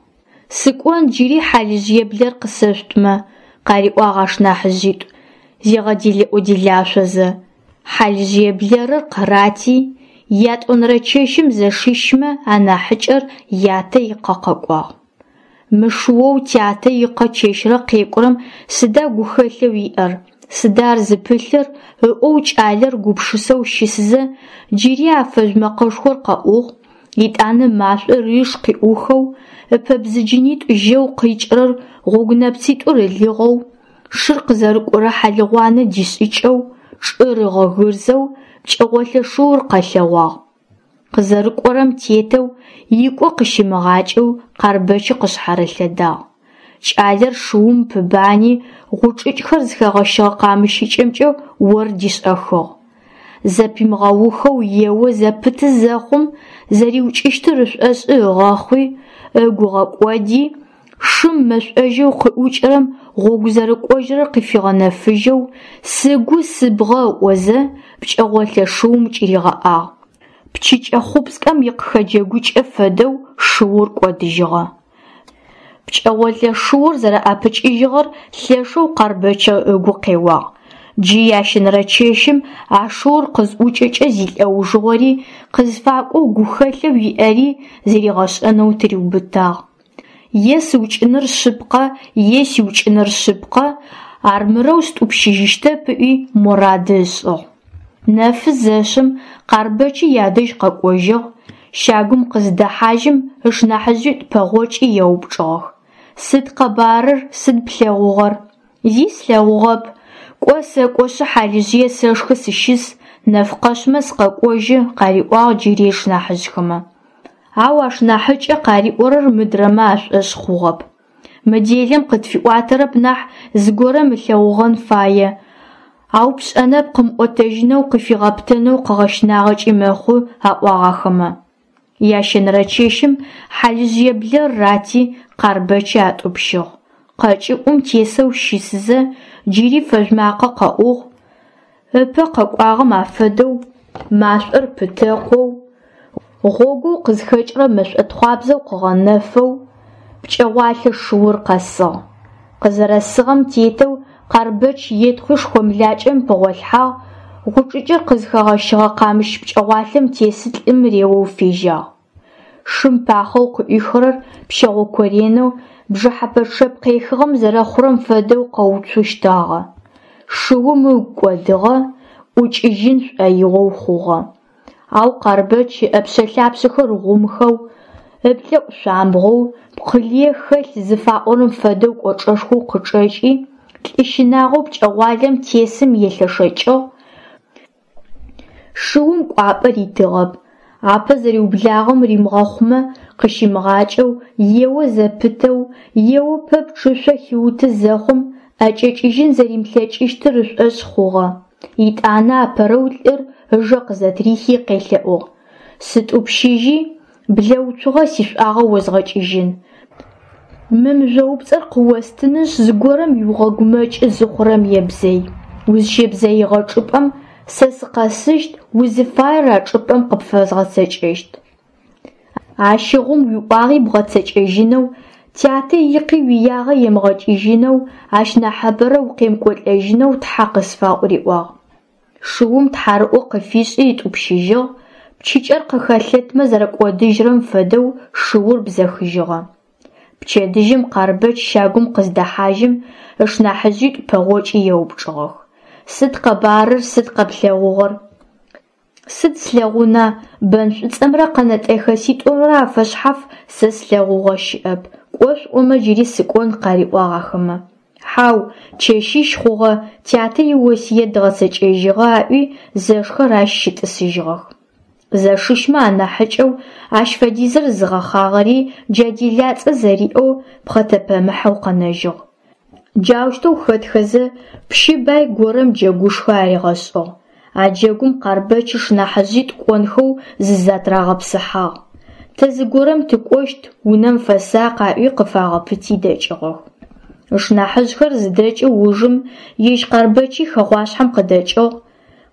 Сыкӏон джыри хьалыжъые блэр къысэшъутмэ, къариӏуагъ ашнахьыжъитӏу, зигъэделэӏо-делашъозэ. Хьалыжъые блэрыр къырати, ятӏонэрэ чэщым зэшищмэ анахьыкӏэр ятэ икъэ къэкӏуагъ. Мы шыоу тятэ икъэ чэщрэ къекӏурэм сыда гухэлъэу иӏэр, сыда ар зыпылъыр ыӏоу кӏалэр гупшысэу щысызэ, джыри а фэжъу мэкъэшхор къэӏугъ, етӏанэ машӏор иш къыӏухэу, ыпэбзыджынитӏу жьэу къикӏырэр гъогу нэпцитӏур ылыгъэу, шыр къызэрыкӏорэ хьалыгъуанэ дишӏыкӏэу, чӏыр ыгъэгырзэу пкӏэгъолэ шыур къэлъэгъуагъ. Къызэрыкӏорэм тетэу, икӏо къыщимыгъакӏэу Къарбэчы къышъхьарылъэдагъ. Кӏалэр шыум пыбани, гъучӏыкӏхэр зыхэгъэщыгъэ къамыщыкӏэмкӏэ ор дишӏэхыгъ. Зэпимыгъэухэу ео зэпыты зэхъум, зэриукӏыщтыр ышӏошӏы ыгъэхъуи, ыгу ыгъэкӏоди, шым мэшӏожьэу къыӏукӏырэм гъогу зэрыкӏожьырэр къыфигъэнэфыжьэу, сыгу сыбгъэ ыӏозэ, пкӏэгъолэ шыум кӏыригъэӏагъ. Пчыкӏэ хъупскӏэм икъыхэджэгукӏэ фэдэу шыур кӏодыжьыгъэ. Пкӏэгъолэ шыур зэрэӏэпыкӏыжьыгъэр лъэшэу Къарбэчы ыгу къеуагъ. Джы ящэнэрэ чэщым а шыур къызӏукӏэкӏэ зилӏэужыгъори, къызфакӏоу гухэлъэу иӏэри зэригъэшӏэнэу тыриубытагъ. Е сыукӏыныр шъыпкъэ, е сиукӏыныр шъыпкъэ, армырэу стӏупщыжьыщтэп ыӏуи морады ышӏыгъ. Нэфы зэшъым Къарбэчы ядэжь къэкӏожьыгъ, щагум къыздэхьажьым ышнахьыжъитӏу пэгъокӏи еупчӏыгъэх. Сыд къэбарыр, сыд плъэгъугъэр? Зи слъэгъугъэп. Кӏо сэкӏошъы хьалыжъые сэшхы сыщыс, нэф къэшъмэ сыкъэкӏожьы, къариӏуагъ джыри ышнахьыжъхэмэ. Ау ашнахьыкӏэ къариӏорэр мыдрэмэ ашӏошъ хъугъэп. Мы делэм къытфиӏуатэрэп нахь зыгорэм ылъэгъугъэн фае. Ау пшӏэнэп къымыӏотэжьынэу къыфигъэпытэнэу къыгъэщынагъэкӏи мэхъу, аӏуагъ ахэмэ. Ящэнэрэ чэщым хьалыжъые блэр рати, Къарбэчы атӏупщыгъ. Къэкӏыӏум тесэу щысызэ, джыри фэжъу макъэ къэӏугъ, ыпэ къэкӏуагъэм афэдэу, машӏор пытэкъоу, гъогоу къызхэкӏырэ мэшӏотхъуабзэу къыгъэнэфэу, пкӏэгъуалъэ шыур къэсыгъ. Къызэрэсыгъэм тетэу Къарбэч етхъуи шхомлакӏэм пыгъолъхьагъ, гъучӏыкӏыр къызхэгъэщыгъэ къамыщ пкӏэгъуалъэм тесы лӏым реоу фежьагъ. Шым пахъэу къыӏуихырэр пщэгъо коренэу, бжыхьэпэ чъэп къехыгъэм зэрэхъурэм фэдэу къэуцущтагъэ. Шыум ыгу кӏодыгъэ, ӏукӏыжьын шӏоигъоу хъугъэ. Ау Къарбэч ыӏэпшъэ-лъапшъэхэр гъумхэу, ыплӏэӏу шъуамбгъоу, пкъылые хэлъ зыфаӏорэм фэдэу кӏочӏэшхоу къычӏэкӏи, лӏы щынагъоу пкӏэгъуалэм тесым елъэшэкӏыгъ, шыум кӏуапӏэ ритыгъэп, апэ зэриублагъэм римыгъэхъумэ къыщимыгъакӏэу, ео зэпытэу, ео пэпчъ ышъо хиуты зэхъум, ӏэкӏэкӏыжьын зэримылъэкӏыщтыр ышӏошъ хъугъэ. Итӏанэ апэрэу лӏыр ыжэ къызэтрихи къелъэӏугъ: «Сытӏупщыжьи, блэ уцугъэ сишӏуагъэ озгъэкӏыжьын. Мы мыжъоупцӏэр къыостынышъ, зыгорэм уигъэгумэкӏы зыхъурэм ебзэй. Узщебзэигъэ чӏыпӏэм Сэ сыкъэсыщт, узыфаер а чӏыпӏэм къыпфэзгъэцэкӏэщт. Ащыгъум уиӏуагъи бгъэцэкӏэжьынэу, тятэ икъи уиягъэ емыгъэкӏыжьынэу, ащ нахьыбэрэ укъемыкӏолӏэжьынэу тхьэ къысфаӏу, риӏуагъ. Шыум тхьарыӏо къыфишӏи ытӏупщыжьыгъ, пчыкӏэр къыхэлъэтмэ зэрэкӏодыжьырэм фэдэу шыур бзэхыжьыгъэ. Пчэдыжьым Къарбэч щагум къыздэхьажьым, ышнахьыжъитӏу пэгъокӏи еупчӏыгъэх: Сыд къэбарыр, сыд къэплъэгъугъэр? Сыд слъэгъуна, бэн шӏуцӏэмрэ къэнэтӏэхэситӏумрэ афэшъхьаф сэ слъэгъугъэ щыӏэп, кӏо шъуӏомэ джыри сыкӏон, къариӏуагъ ахэмэ. Хьау, чэщищ хъугъэ, тятэ иосыет дгъэцэкӏэжьыгъэ, аӏуи зэшхэр ащ щытӏысыжьыгъэх. Зэшищмэ анахьыкӏэу ащ фэдизыр зыгъэхъагъэри джа делацӏэ зэриӏэу пхъэтэпэмыхьэу къэнэжьыгъ. Джаущтэу хэтхэзэ, пщы бай горэм джэгушхо аригъэшӏыгъ. А джэгум Къарбэч ышнахьыжъитӏу кӏонхэу зызэтырагъэпсыхьагъ. Тэ зыгорэм тыкӏощт, унэм фэсакъ аӏуи къыфагъэпыти дэкӏыгъэх. Ышнахьыжъхэр зыдэкӏы ужым ежь Къарбэчи хэгъуашъхьэм къыдэкӏыгъ,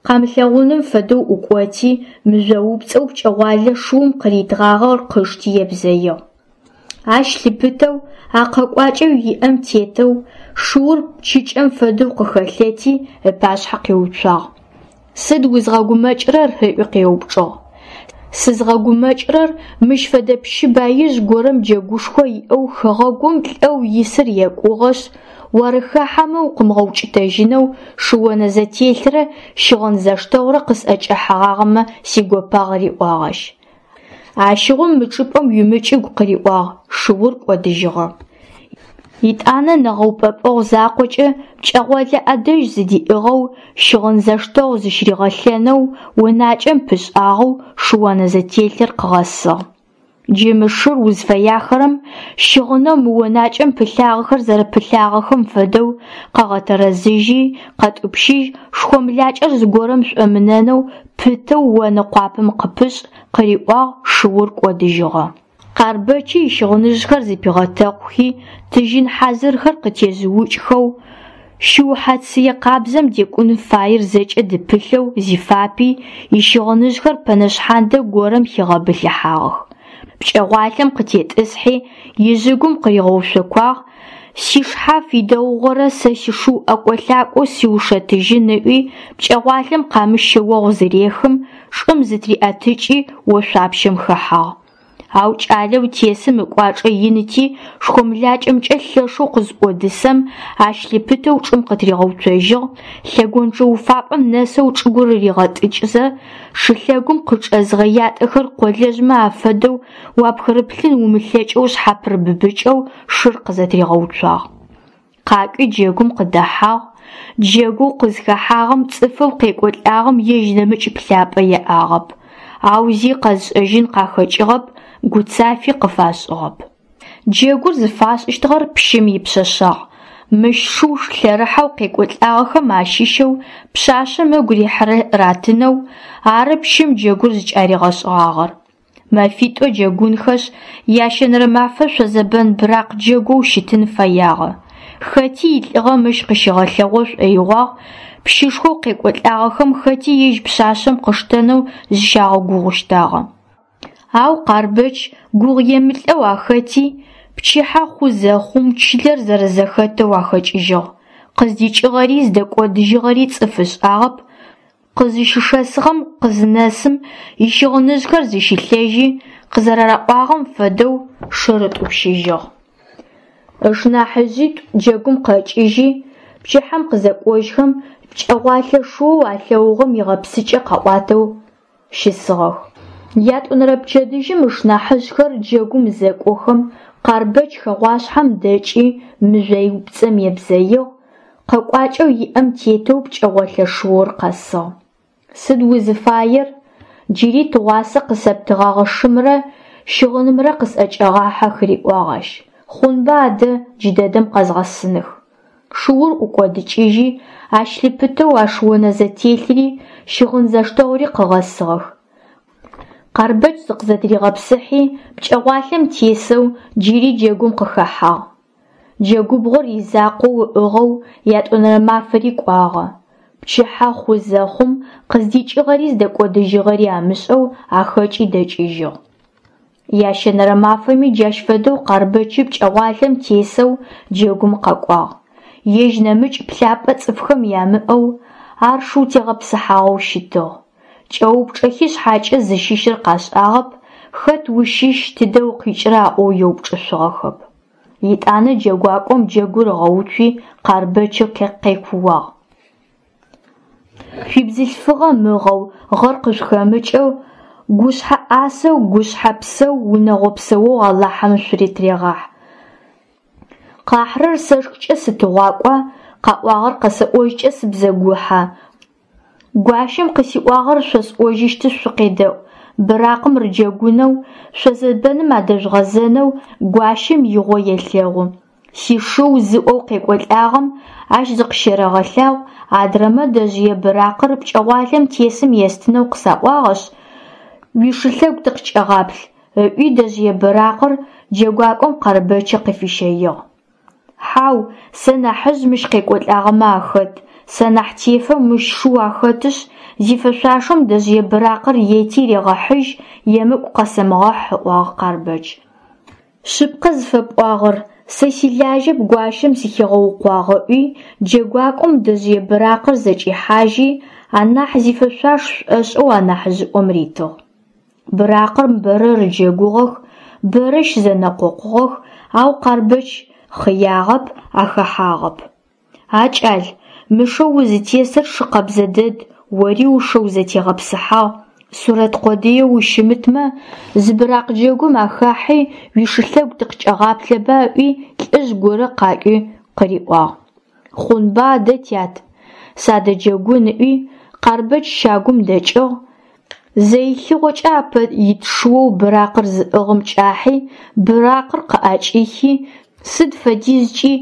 къамылъэгъуным фэдэу ӏукӏоти, мыжъоупцӏэу пкӏэгъуалэ шыум къыритыгъагъэр къышти ебзэигъ. Ащ лъыпытэу, а къэкӏуакӏэу иӏэм тетэу, шыур пчыкӏэм фэдэу къыхэлъэти, ыпашъхьэ къиуцуагъ. Сыд узгъэгумэкӏырэр? ыӏуи къеупчӏыгъ. Сызгъэгумэкӏырэр мыщ фэдэ пщы баижъ горэм джэгушхо иӏэу хэгъэгум лӏэу исыр екӏугъэшъ, уарыхахьэмэ укъымыгъэукӏытэжьынэу шыонэзэтелърэ щыгъын зэштэгъурэ къысӏэкӏэхьэгъагъэмэ сигопагъ, риӏуагъ ащ. Ащыгъум мы чӏыпӏэм уимыкӏыгу къыриӏуагъ, шыур кӏодыжьыгъэ. Етӏанэ нэгъэупӏэпӏэгъу закъокӏэ пкӏэгъолэ ӏэдэжь зыдиӏыгъэу, щыгъын зэштэгъу зыщыригъэлъэнэу, онакӏэм пышӏагъэу шыонэзэтелъыр къыгъэсыгъ. Джы мы шыр узфэяхэрэм, щыгъынэу мы онакӏэм пылъагъэхэр зэрэпылъагъэхэм фэдэу, къэгъэтэрэзыжьи, къэтӏупщыжь, шхомлакӏэр зыгорэм шӏомынэнэу пытэу онэ къуапэм къыпышӏ, къыриӏуагъ, шыур кӏодыжьыгъэ. Къарбэчи ищыгъыныжъхэр зыпигъэтэкъухи, тыжьын хьазырхэр къытежъыукӏхэу, шыухьэ цые къабзэм декӏун фаер зэкӏэ дыпылъэу зифапи, ищыгъыныжъхэр пэнэ шъхьандэ горэм хигъэбылъыхьагъэх. Пкӏэгъуалъэм къытетӏысхьи, ижъыгум къыригъэушъокуагъ, сишхьаф идэгъугъэрэ сэ сишыу ӏэкӏо-лъакӏоу сиушэтыжьын ыӏуи, пкӏэгъуалъэм къамыщ шъэогъу зырехым, чӏым зытыриӏэтыкӏи ошъуапщэм хэхьагъ. Ау кӏалэу тесым ыкӏуачӏэ иныти, шхомлакӏэмкӏэ лъэшэу къызӏодысэм, ащ лъыпытэу чӏым къытыригъэуцожьыгъ, лъэгонджэ уфапӏэм нэсэу чӏыгур ригъэтӏыкӏзэ, шылъэгум къычӏэзыгъэ ятӏэхэр къолэжъмэ афэдэу уапхырыплъын умылъэкӏэу шъхьапырыбыбыкӏэу шыр къызэтыригъэуцуагъ. Къакӏуи джэгум къыдэхьагъ, джэгоу къызхэхьагъэм цӏыфэу къекӏолӏагъэм ежь нэмыкӏ плъапӏэ иӏагъэп, ау зи къэзышӏэжьын къахэкӏыгъэп, гуцафи къыфашӏыгъэп. Джэгур зыфашӏыщтыгъэр пщым ипшъэшъагъ. Мыщ шыу лъэрыхьэу къекӏолӏагъэхэм ащыщэу пшъашъэм ыгу рихьырэр ратынэу, ары пщым джэгур зыкӏаригъэшӏыгъагъэр. Мэфитӏо джэгунхэшъ, ящэнэрэ мафэ шъозэбэн быракъ джэгоу щытын фэягъэ. Хэти илӏыгъэ мыщ къыщигъэлъэгъо шӏоигъуагъ, пщышхоу къекӏолӏагъэхэм хэти ежь пшъашъэм къыштэнэу зыщагъэгугъущтагъэ. Ау Къарбэч гугъу емылӏэу ахэти, пчыхьэ хъу зэхъум чылэр зэрэзэхэтэу ахэкӏыжьыгъ. Къыздикӏыгъэри зыдэкӏодыжьыгъэри цӏыф ышӏагъэп, къызыщышэсыгъэм къызынэсым ищыгъыныжъхэр зыщилъэжьи, къызэрараӏуагъэм фэдэу шыр ытӏупщыжьыгъ. Ышнахьыжъитӏу джэгум къэкӏыжьи, пчыхьэм къызэкӏожьхэм пкӏэгъуалъэ шыоу алъэгъугъэм игъэпсыкӏэ къаӏуатэу щысыгъэх. Ятӏонэрэ пчэдыжьым ышнахьыжъхэр джэгум зэкӏохэм, Къарбэч хэгъуашъхьэм дэкӏи мыжъоупцӏэм ебзэигъ, къэкӏуакӏэу иӏэм тетэу пкӏэгъолъэ шыур къэсыгъ. Сыд узыфаер? Джыри тыгъуасэ къысэптыгъэгъэ шымрэ щыгъынымрэ къысӏэкӏэгъахьэх, риӏуагъ ащ. Хъунба адэ, джыдэдэм къэзгъэсыных. Шыур ӏукӏодыкӏыжьи, ащ лъыпытэу а шыонэзэтелъри щыгъын зэштэгъури къыгъэсыгъэх. Къарбэч зыкъызэтыригъэпсыхьи, пкӏэгъуалъэм тесэу джыри джэгум къыхэхьагъ. Джэгубгъур изакъоу ыӏыгъэу ятӏонэрэ мафэри кӏуагъэ. Пчыхьэ хъу зэхъум, къыздикӏыгъэри зыдэкӏодыжьыгъэри амышӏэу ахэкӏи дэкӏыжьыгъ. Ящэнэрэ мафэми джащ фэдэу Къарбэчы пкӏэгъуалэм тесэу джэгум къэкӏуагъ. Ежь нэмыкӏ плъапӏэ цӏыфхэм ямыӏэу, ар шыу тегъэпсыхьагъэу щытыгъ. Кӏэупчӏэхи шъхьакӏэ зыщыщыр къашӏагъэп, хэт ущыщ, тыдэ укъикӏыра аӏоу еупчӏышъугъэхэп. Етӏанэ джэгуакӏом джэгур ыгъэуцуи Къарбэчы къекууагъ. Шъуибзылъфыгъэ мыгъэу, гъэр къышъухэмыкӏэу, гушъхьэ ӏасэу, гушъхьэ псэу, унэгъо псэоу Алахьым шъутырегъахь. Къахьырэр сэшхыкӏэ сытыгъуакӏуа, къаӏуагъэр къэсэӏожькӏэ сыбзэгухьа? Гуащэм къысиӏуагъэр шъосӏожьыщтышъ шъукъедэӏу: быракъым рыджэгунэу, шъозэбэным адэжъугъэзэнэу гуащэм игъо елъэгъу. Сишыу зыӏоу къекӏолӏагъэм ащ зыкъыщерэгъэлъагъу, адрэмэ дэжъые быракъыр пкӏэгъуалэм тесым естынэу къысаӏуагъэшъ, уишылъэгу тыкъыкӏэгъаплъ, ыӏуи дэжъые быракъыр джэгуакӏом Къарбэчы къыфищэигъ. Хьау, сэ нахьыжъ мыщ къекӏолӏагъэмэ ахэт, сэ нахь тефэ мыщ шыу ахэтышъ, зифэшъуашэм дэжъые быракъыр ети регъэхьыжь, емыкӏу къэсэмыгъэхь, ыӏуагъ Къарбэч. Шъыпкъэ зыфэпӏуагъэр, сэ силажьэп гуащэм сыхигъэукъуагъ, ыӏуи, джэгуакӏом дэжъые быракъыр зэкӏихьажьи, анахь зифэшъуаш шӏошӏэу анахьыжъыӏом ритыгъ. Быракъым бэрэ рыджэгугъэх, бэрэ щызэнэкъокъугъэх, ау Къарбэч хъыягъэп, ахэхьагъэп. А кӏал, мы шэу узытесыр шы къэбзэ дэд, ори ушэу зэтегъэпсыхьагъ, сурэт къодыеу ущымытмэ, зы быракъ джэгум ахахьи уишылъэгу тыкъыкӏэгъаплъэба ыӏуи лӏыжъ горэ къакӏуи къыриӏуагъ. Хъунба адэ, тят, садэджэгун ыӏуи, Къарбэч щагум дэкӏыгъ, зэилъыгъокӏэ апэ ит шыоу быракъыр зыӏыгъым кӏахьи, быракъыр къыӏэкӏихи, сыд фэдизкӏи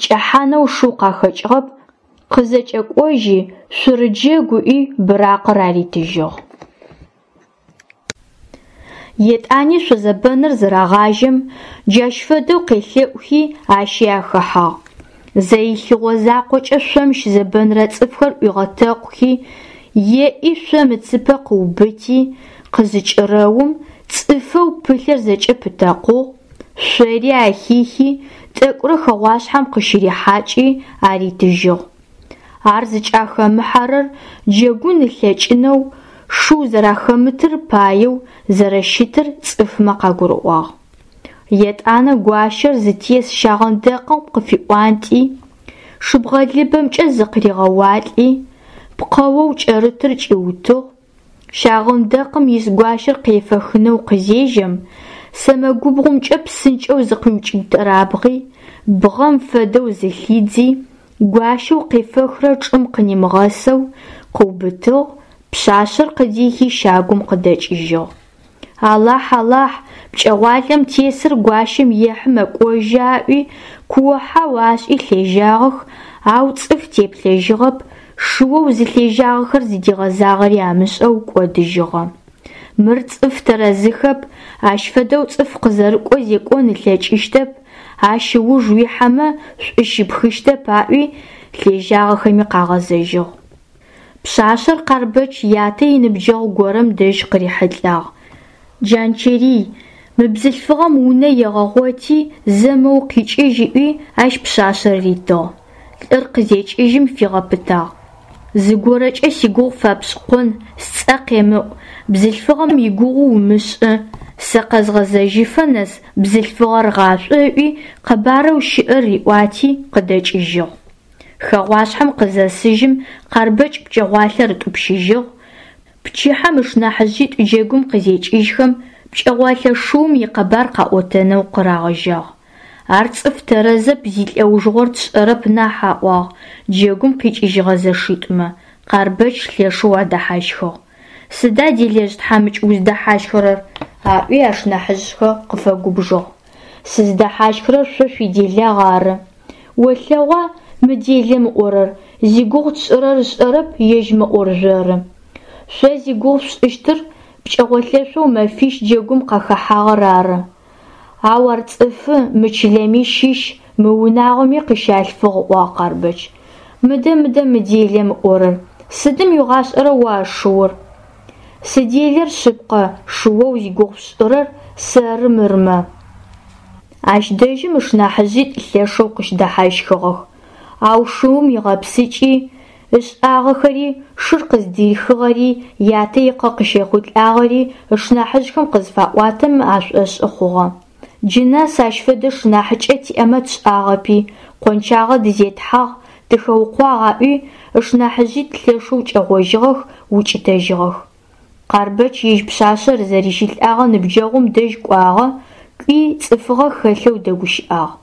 кӏэхьанэу шыу къахэкӏыгъэп, къызэкӏэкӏожьи, шъурыджэгу ыӏуи быракъыр аритыжьыгъ. Етӏани шъозэбэныр зырагъажьэм, джащ фэдэу къелъэӏухи ащи ахэхьагъ. Зэилъыгъо закъокӏэ шъом щызэбэнрэ цӏыфхэр ӏуигъэтэкъухи, еӏи шъом ыцыпэ къыубыти, къызыкӏырэум, цӏыфэу пылъыр зэкӏэ пытэкъугъ, шъори ахихи, тӏэкӏурэ хэгъуашъхьэм къыщырихьакӏи аритыжьыгъ. Ар зыкӏахэмыхьэрэр джэгун ылъэкӏынэу шыу зэрахэмытыр паеу зэрэщытыр цӏыфмэ къагурыӏуагъ. Етӏанэ гуащэр зытес щагъэндэкъым къыфиӏуантӏи, шыбгъэлыбэмкӏэ зыкъыригъэуалӏи, пкъэоу кӏэрытыр кӏиутыгъ, щагъэндэкъым ис гуащэр къефэхынэу къызежьэм, сэмэгубгъумкӏэ псынкӏэу зыкъиукӏытэрабгъи, бгъэм фэдэу зылъидзи, гуащэу къефэхрэр чӏым къынимыгъэсэу къыубытыгъ, пшъашъэр къыдихи щагум къыдэкӏыжьыгъ. Алахь, Алахь, пкӏэгъуалэм тесыр гуащэм ехьы мэкӏожьы аӏуи, куо-хьау ашӏи лъежьагъэх, ау цӏыф теплъэжьыгъэп, шыоу зылъежьагъэхэр зыдигъэзагъэри амышӏэу кӏодыжьыгъэ. Мыр цӏыф тэрэзыхэп, ащ фэдэу цӏыф къызэрыкӏо зекӏон ылъэкӏыщтэп, ащ ыуж уихьэмэ шӏу щыпхыщтэп аӏуи, лъежьагъэхэми къагъэзэжьыгъ. Пшъашъэр Къарбэч ятэ иныбджэгъу горэм дэжь къырихьылӏагъ. Джанчэрый, мы бзылъфыгъэм унэ егъэгъоти, зэ моу къикӏыжь ыӏуи, ащ пшъашъэр ритыгъ. Лӏыр къызекӏыжьым фигъэпытагъ. Зыгорэкӏэ сигугъу фэпшӏыкъон, сцӏэ къемыӏу, бзылъфыгъэм игугъу умышӏы, сэ къэзгъэзэжьыфэ нэс бзылъфыгъэр гъашӏо ыӏуи, къэбарэу щыӏэр риӏуати, къыдэкӏыжьыгъ. Хэгъуашъхьэм къызэсыжьым, Къарбэч пкӏэгъуалэр ытӏупщыжьыгъ. Пчыхьэм ышнахьыжъитӏу джэгум къызекӏыжьхэм, пкӏэгъуалэ шыум икъэбар къаӏотэнэу къырагъэжьагъ. Ар цӏыф тэрэзэп, зилӏэужыгъор тшӏэрэп нахь, аӏуагъ джэгум къикӏыжьыгъэ зэшитӏумэ. Къарбэч лъэшэу адэхьащхыгъ. Сыда делэжъ тхьамыкӏ уздэхьащхырэр? аӏуи ашнахьыжъхэр къыфэгубжыгъ. Сыздэхьащхырэр шъо шъуиделагъ ары. Олъэгъуа мы делэм ыӏорэр, зигугъу тшӏырэр ышӏэрэп, ежь мэӏоржъоры. Шъо зигугъу шъушӏыщтыр пкӏэгъолъэшъоу мэфищ джэгум къахэхьагъэр ары. Ау ар цӏыфы, мы чылэми щыщ, мы унагъоми къыщалъфыгъ, ыӏуагъ Къарбэч. Мыдэ, мыдэ мы делэм ыӏорэр, сыдым уигъашӏэрэ о а шыур? Сыделэр шъыпкъэ, шыоу зигугъу шъушӏырэр сэры мырмэ. Ащ дэжьым ышнахьыжъитӏу лъэшэу къыщыдэхьащхыгъэх. Ау шыум игъэпсыкӏи, ышӏагъэхэри, шыр къыздырихыгъэри, ятэ икъэ къыщехъулӏагъэри ышнахьыжъхэм къызыфаӏуатэм ашӏошъы хъугъэ. Джы нэс ащ фэдэ шынахьыкӏэ тиӏэмэ тшӏагъэпи, къончагъэ дызетхьагъ, тыхэукъуагъ аӏуи, ышнахьыжъитӏу лъэшэу кӏэгъожьыгъэх, укӏытэжьыгъэх. Къарбэч ежь пшъашъэр зэрищылӏагъэ ныбджэгъум дэжь кӏуагъэ, кӏуи цӏыфыгъэ хэлъэу дэгущыӏагъ.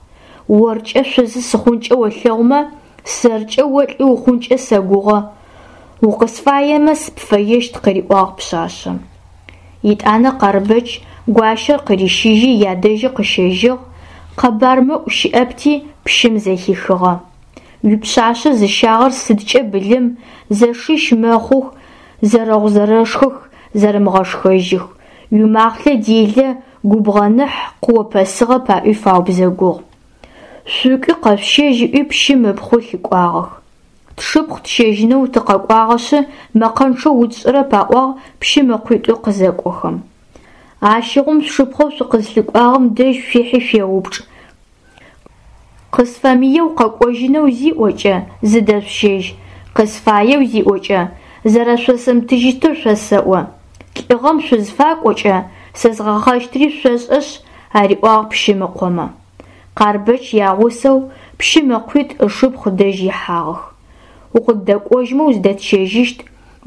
Оркӏэ шъузы сыхъункӏэ олъэгъумэ, сэркӏэ о лӏы ухъункӏэ сэгугъэ. Укъысфаемэ, сыпфэещт, къыриӏуагъ пшъашъэм. Етӏанэ Къарбэч гуащэр къырищыжьи ядэжьы къыщэжьыгъ, къэбар мыӏу щыӏэпти пщым зэхихыгъэ. Уипшъашъэ зыщагъэр сыдкӏэ былым, зэшищ мэхъух, зэрэгъу-зэрэшхых, зэрэмыгъэшхэжьых. Уимахълъэ делэ, губгъэныхь, къыопэсыгъэп аӏуи фаубзэгугъ. Шъукӏуи къэшъущэжь ыӏуи пщым ыпхъу лъыкӏуагъэх. Тшыпхъу тщэжьынэу тыкъэкӏуагъэшъы, мэкъэнчъэу утшӏырэп аӏуагъ пщым ыкъуитӏу къызэкӏохэм. Ащыгъум шъушыпхъоу шъукъызлъыкӏуагъэм дэжь шъуихьи шъуеупчӏ. Къысфэмыеу къэкӏожьынэу зиӏокӏэ, зыдэшъущэжь, къысфаеу зиӏокӏэ, зэрэшъосымытыжьыщтыр шъосэӏо. Лӏыгъэм шъузфакӏокӏэ, сэ згъэхъэщтри шъошӏэшъ, ариӏуагъ пщым ыкъомэ. Къарбэч ягъусэу пщым ыкъуитӏу ышыпхъу дэжь ихьагъэх. Укъыддэкӏожьмэ узыдэтщэжьыщт,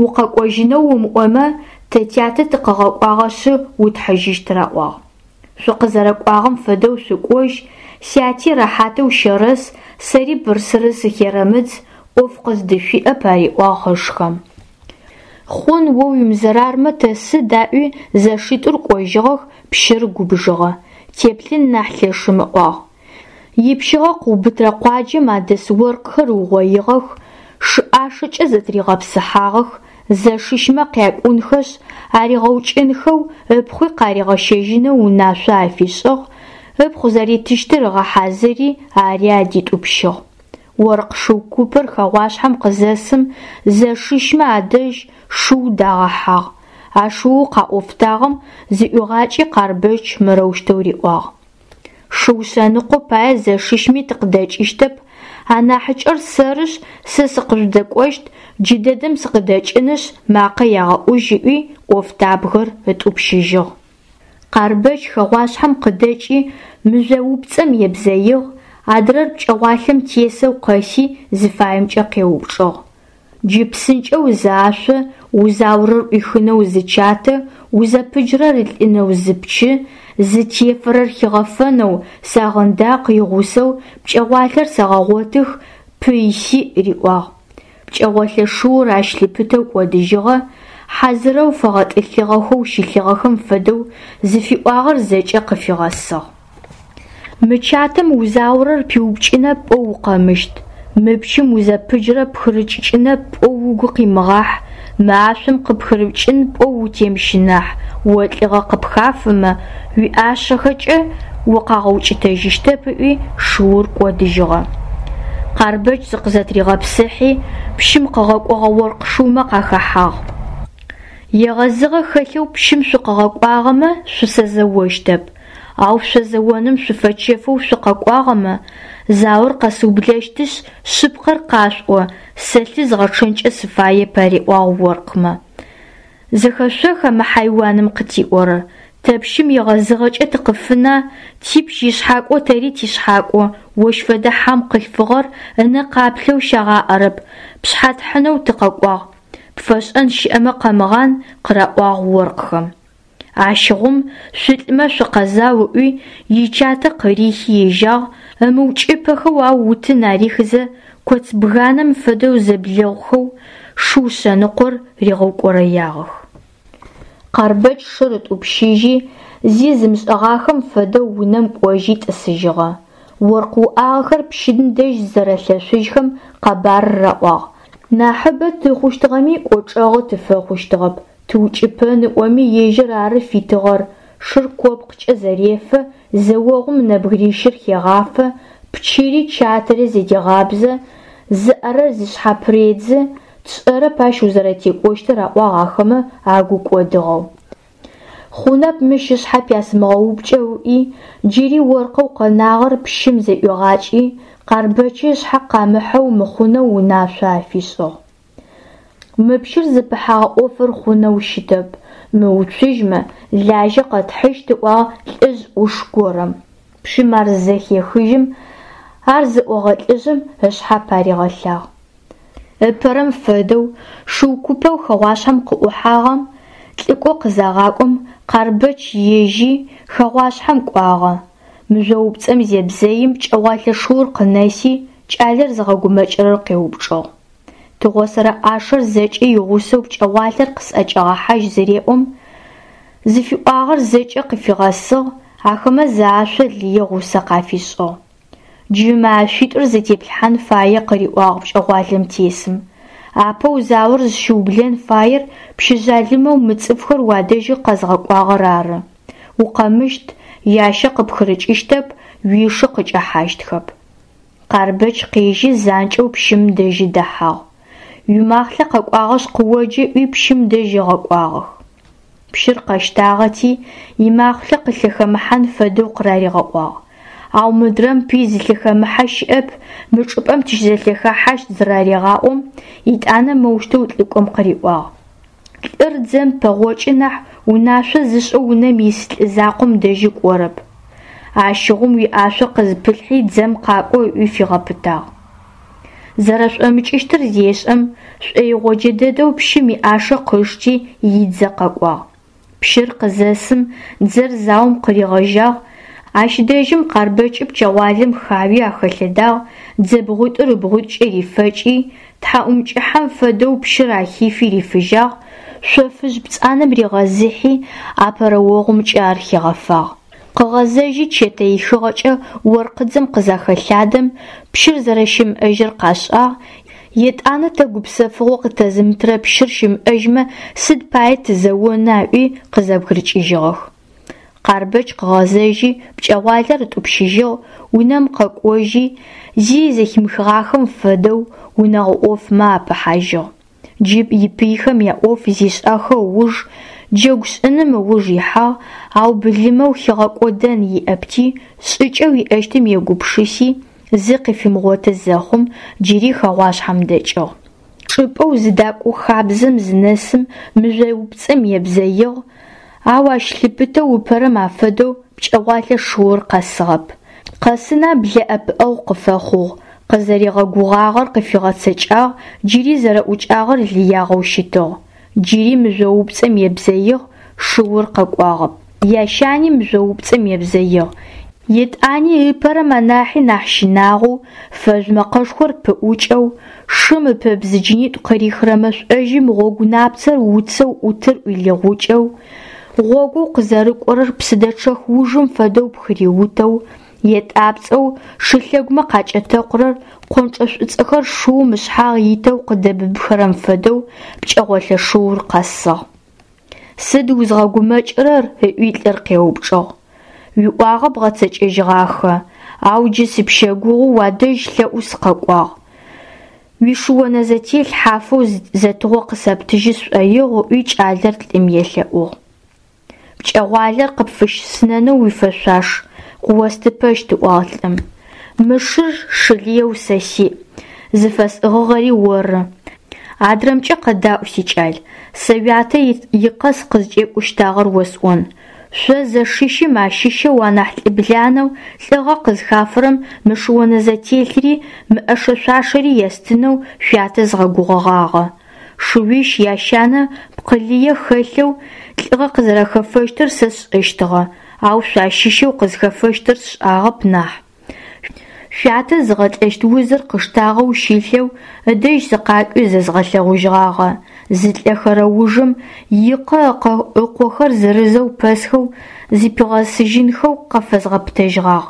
укъэкӏожьынэу умыӏомэ, тэ тятэ тыкъыгъэкӏуагъэшъы утхьыжьыщт раӏуагъ. Шъукъызэрэкӏуагъэм фэдэу шъукӏожь, сяти рэхьатэу щэрэс, сэри бырсыры сыхерэмыдз, ӏоф къыздышъуиӏэп, ариӏуагъ ышхэм. Хъун о уимызэрармэ тэ сыд аӏуи, зэшитӏур кӏожьыгъэх, пщыр губжыгъэ. Теплъын нахь лъэшым ыӏуагъ. Ипщыгъэ къыубытрэ къуаджэм адэс оркъхэр ыугъоигъэх, шы ӏашэкӏэ зэтыригъэпсыхьагъэх, зэшищмэ къякӏунхэшъ, аригъэукӏынхэу, ыпхъуи къаригъэщэжьынэу унашъо афишӏыгъ, ыпхъу зэритыщтыр ыгъэхьазыри, ари адитӏупщыгъ. Оркъ шыу купыр хэгъуашъхьэм къызэсым, зэшищмэ адэжь шыу дагъэхьагъ. А шыоу къаӏофтагъэм зыӏуигъакӏи Къарбэч мырэущтэу риӏуагъ. Шыу шъэныкъо пае зэшищми тыкъыдэкӏыщтэп, анахьыкӏэр сэрышъ, сэ сыкъыжъудэкӏощт, джыдэдэм сыкъыдэкӏынышъ, макъэ ягъэӏужь ыӏуи, ӏофтабгэр ытӏупщыжьыгъ. Къарбэч хэгъуашъхьэм къыдэкӏи, мыжъоупцӏэм ебзэигъ, адрэр пкӏэгъуалъэм тесэу къэси, зыфаемкӏэ къеупчӏыгъ. Джы псынкӏэу зы ашъо, узаорэр ӏуихынэу зы чатэ, узэпыджырэр ылӏынэу зы пчы, зытефэрэр хигъэфэнэу сагъындакъ игъусэу пкӏэгъуалъэр сэгъэгъотых, пый сиӏ, риӏуагъ. Пкӏэгъолъэ шыур ащ лъыпытэу кӏодыжьыгъэ, хьазырэу фэгъэтӏылъыгъэхэу щылъыгъэхэм фэдэу зыфиӏуагъэр зэкӏэ къыфигъэсыгъ. Мы чатэм узаорэр пиупкӏынэп пӏоу укъэмыщт, мы пчым узэпыджырэр пхырыкӏыкӏынэп пӏоу угу къимыгъахь, мы ашъом къыпхырыпкӏын пӏоу утемыщынахь, о лӏыгъэ къыпхафэмэ, уиӏашэхэкӏэ укъагъэукӏытэжьыщтэп ыӏуи, шыур кӏодыжьыгъэ. Къарбэч зыкъызэтыригъэпсыхьи, пщым къыгъэкӏогъэ оркъ шыумэ къахэхьагъ. Егъэзыгъэ хэлъэу пщым шъукъыгъэкӏуагъэмэ, шъусэзэощтэп. Ау шъо зэоным шъуфэчэфэу шъукъэкӏуагъэмэ, заор къэсыублэщтышъ, шъыпкъэр къашъуӏо, сэ лъы згъэчъэнкӏэ сыфаеп, ариӏуагъ оркъмэ. Зэхэшъоха мы хьайуаным къытиӏорэр? Тэ пщым егъэзыгъэкӏэ тыкъыфына, типщ ишъхьакӏо тэри тишъхьакӏо, ощ фэдэ хьам къылъфыгъэр ынэ къаплъэу щагъаӏэрэп, пшъхьэ тхьынэу тыкъэкӏуагъ, пфэшӏэн щыӏэмэ къэмыгъан, къыраӏуагъ оркъхэм. Ащыгъум шъулӏмэ шъукъэзау ыӏуи, ичатэ къырихи ежьагъ, ымыукӏыпэхэу ау утын арихызэ, коц бганэм фэдэу зэблэхъухэу шыу шъэныкъор ригъэукӏорэягъэх. Къарбэч шыр ытӏупщыжьи, зи зымышӏэгъахэм фэдэу унэм кӏожьи тӏысыжьыгъэ. Оркъ уӏагъэхэр пщым дэжь зызэрэлъэшъужьхэм къэбарыр раӏуагъ. Нахьыбэ тыхъущтыгъэми кӏочӏэгъу тыфэхъущтыгъэп. Тыукӏыпэн ыӏоми ежьыр ары фитыгъэр, шыр копкъкӏэ зэрефэ, зэогъум нэбгырищыр хегъафэ, пчыри чатэри зэдегъабзэ, Зыӏэрэр зышъхьапыредзы, тшӏэрэп ащ узэрэтекӏощтыр, аӏуагъ ахэмэ агу кӏодыгъэу. Хъунэп мыщ ышъхьэ пясымыгъэупкӏэу ыӏуи, джыри оркъэу къэнагъэр пщым зэӏуигъакӏи, Къарбэчы ышъхьэ къамыхьэу мыхъунэу унашъо афишӏыгъ. Мы пщыр зыпыхьэгъэ ӏофыр хъунэу щытэп, мыуцужьмэ, лажьэ къэтхьыщт, ыӏуагъ лӏыжъ ӏуш горэм. Пщым ар зызэхехыжьым, ар зыӏогъэ лӏыжъым ышъхьэ паригъэлъагъ. Ыпэрэм фэдэу шыу купэу хэгъуашъхьэм къыӏухьагъэм лӏыкӏо къызагъакӏом, Къарбэч ежьи хэгъуашъхьэм кӏуагъэ. Мыжъоупцӏэм зебзэим пкӏэгъуалэ шыур къынэси, кӏалэр зыгъэгумэкӏырэр къеупчӏыгъ. Тыгъосэрэ ӏашэр зэкӏэ игъусэу пкӏэгъуалэр къысӏэкӏэгъэхьажь зыреӏом, зыфиӏуагъэр зэкӏэ къыфигъэсыгъ, ахэмэ зы ашъо лые гъусэ къафишӏыгъ. Джы мы ашъуитӏур зэтеплъхьан фае, къыриӏуагъ пкӏэгъуалэм тесым. Апэу заор зыщыублэн фаер пщы жъалымэу мы цӏыфхэр уадэжьы къэзгъэкӏуагъэр ары. Укъэмыщт, ящэ къыпхырыкӏыщтэп, уишы къыкӏэхьащтхэп. Къарбэч къежьи занкӏэу пщым дэжьы дэхьагъ. Уимахълъэ къэкӏуагъэшъ къыоджэ ыӏуи пщым дэжь ыгъэкӏуагъэх. Пщыр къэщтагъэти, имахълъэ къылъэхэмыхьан фэдэу къыраригъэӏуагъ. Ау мыдрэм пый зылъэхэмыхьэ щыӏэп, мы чӏыпӏэм тыщызэлъэхэхьащт зырарегъаӏом, етӏанэ моущтэу лӏыкӏом къыриӏуагъ. Лӏыр дзэм пэгъокӏы нахь унашъо зышӏэу унэм ис лӏы закъом дэжьы кӏорэп. Ащыгъум уиӏашъо къызпылъхьи дзэм къакӏо ыӏуи фигъэпытагъ. Зэрэшӏомыкӏыщтыр зешӏэм, шӏоигъоджэ дэдэу пщым иӏашэ къышти идзэ къэкӏуагъ. Пщыр къызэсым, дзэр заом къыригъэжьагъ, ащ дэжьым Къарбэчы пчэгъуалэм хауи ахэлъэдагъ, дзэ бгъуитӏур ыбгъуитӏукӏэ рифэкӏи, тхьаӏумкӏыхьэм фэдэу пщыр ахифи рифыжьагъ, шъофыжъ пцӏанэм ригъэзыхьи, апэрэ огъумкӏэ ар хигъэфагъ. Къыгъэзэжьи чэтэ ихыгъэкӏэ оркъыдзэм къызахэлъадэм, пщыр зэрэщымыӏэжьыр къашӏагъ, етӏанэ тэ гупсэфыгъо къытэзымытырэ пщыр щымыӏэжьмэ сыд пае тызэона ыӏуи къызэбгырыкӏыжьыгъэх. Къарбэч къыгъэзэжьи пкӏэгъуалэр ытӏупщыжьыгъ, унэм къэкӏожьи, зи зэхимыхыгъахэм фэдэу унэгъо ӏофмэ апыхьажьыгъ. Джы ипыйхэм яӏоф зишӏэхэ ыуж, джэгу шӏыным ыуж ихьагъ, ау былымэу хигъэкӏодэн иӏэпти, шӏыкӏэу иӏэщтым егупшыси, зы къыфимыгъоты зэхъум, джыри хэгъуашъхьэм дэкӏыгъ. Чӏыпӏэу зыдакӏо хабзэм зынэсым мыжъоупцӏэм ебзэигъ, ау ащ лъыпытэу ыпэрэм афэдэу пкӏэгъуалэ шыур къэсыгъэп. Къэсына блэ ӏэпыӏэгъу къыфэхъугъ, къызэригъэгугъагъэр къыфигъэцэкӏагъ, джыри зэрэӏукӏагъэр лыягъэу щытыгъ. Джыри мыжъоупцӏэм ебзэигъ, шыур къэкӏуагъэп. Ящани мыжъоупцӏэм ебзэигъ. Етӏани ыпэрэм анахьи нахь щынагъоу, фэжъу мэкъэшхор пыӏукӏэу, шым ыпэбзыджынитӏу къырихырэ мэшӏожьым гъогу напцэр уцэу ӏутыр ӏуилыгъукӏэу, гъогоу къызэрыкӏорэр псыдэчъэх ужым фэдэу пхыриутэу, етӏапцӏэу шылъэгумэ къакӏэтэкъурэр къончӏэ шӏуцӏэхэр шыум ышъхьагъ итэу къыдэбыбхэрэм фэдэу пкӏэгъолэ шыур къэсыгъ. Сыд узгъэгумэкӏырэр? ыӏуи лӏыр къеупчӏыгъ. Уиӏуагъэ бгъэцэкӏэжьыгъахэ, ау джы сыпщэгугъэу уадэжь лъэӏу сыкъэкӏуагъ. Уишыонэзэтелъ хьафэу зэтыгъо къысэптыжьы сшӏоигъу, ыӏуи кӏалэр лӏым елъэӏугъ. Пкӏэгъуалэр къыпфыщысынэнэу уифэшъуаш, къыостыпэщт, ыӏуагъ лӏым. Мы шыр шы лыеу сэ сиӏ, зыфэсӏыгъыгъэри оры. Адрэмкӏэ къэдаӏу, сикӏал, сэ уятэ икъэ сыкъызкӏекӏущтагъэр осӏон. Шъо зэшищым ащыщэу анахь лӏыбланэу лӏыгъэ къызхафэрэм мы шыонэзэтелъри мы ӏэшэ-шъуашэри естынэу шъуятэ згъэгугъэгъагъэ. Шыуищ ящанэ пкъы лые хэлъэу лӏыгъэ къызэрэхэфэщтыр сэ сшӏэщтыгъэ, ау шъуащыщэу къызхэфэщтыр сшӏагъэп нахь. Шъуятэ зыгъэлӏэщт узыр къыштагъэу щылъэу ыдэжь сыкъакӏуи зэзгъэлъэгъужьыгъагъэ. Зылӏэхэрэ ужым икъэ ыкъохэр зырызэу пэсхэу зыпигъэсыжьынхэу къыфэзгъэпытэжьыгъагъ.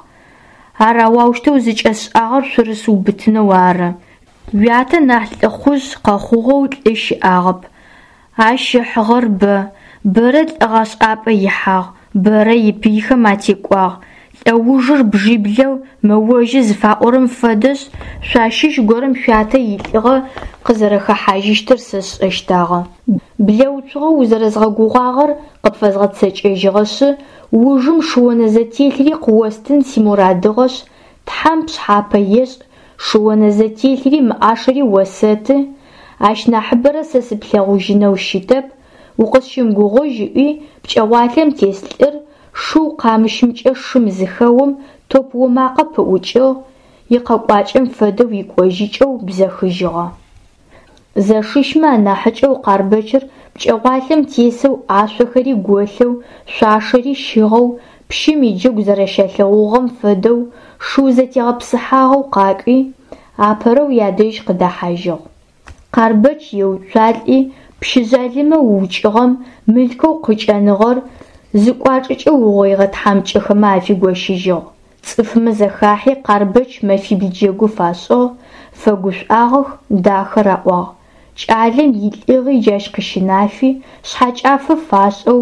Ар аущтэу зыкӏэсшӏагъэр шъурысыубытынэу ары. Уятэ нахь лӏыхъужъ къэхъугъэу лӏы щыӏагъэп. Ащ ыхьыгъэр бэ, бэрэ лӏыгъэшӏапӏэ ихьагъ, бэрэ ипыйхэм атекӏуагъ. Лӏэужыр бжиблэу мэожьы зыфаӏорэм фэдэшъ, шъуащыщ горэм шъуятэ илӏыгъэ къызэрэхэхьажьыщтыр сэ сшӏэщтагъэ. Блэуцугъэ узэрэзгъэгугъагъэр къыпфэзгъэцэкӏэжьыгъэшъы, ужым шыонэзэтелъри къыостын симорадыгъэшъ, Тхьэм пшъхьапэ ешӏ, шыонэзэтелъри мы ӏашэри осэты, ащ нахьыбэрэ сэ сыплъэгъужьынэу щытэп, укъысщымыгугъыжь ыӏуи, пкӏэгъуалэм тес лӏыр шыу къамыщымкӏэ шым зыхэом, топ омакъэ пыӏукӏыгъ, икъэкӏуакӏэм фэдэу икӏожьыкӏэу бзэхыжьыгъэ. Зэшищмэ анахьыкӏэу Къарбэчыр пкӏэгъуалэм тесэу ӏашъохэри голъэу, шъуашэри щыгъэу, пщым иджэгу зэрэщалъэгъугъэм фэдэу шыу зэтегъэпсыхьагъэу къакӏуи, апэрэу ядэжь къыдэхьажьыгъ. Къарбэч еуцуалӏи, пщы жъалымэу ыукӏыгъэм мылъкоу къыкӏэныгъэр зыкӏуачӏэкӏэ угъоигъэ тхьамыкӏэхэмэ афигощыжьыгъ. Цӏыфмэ зэхахьи Къарбэч мэфибл джэгу фашӏыгъ, фэгушӏуагъэх, дахэ раӏуагъ. Кӏалэм илӏыгъи джащ къыщынафи, шъхьэкӏафэ фашӏэу,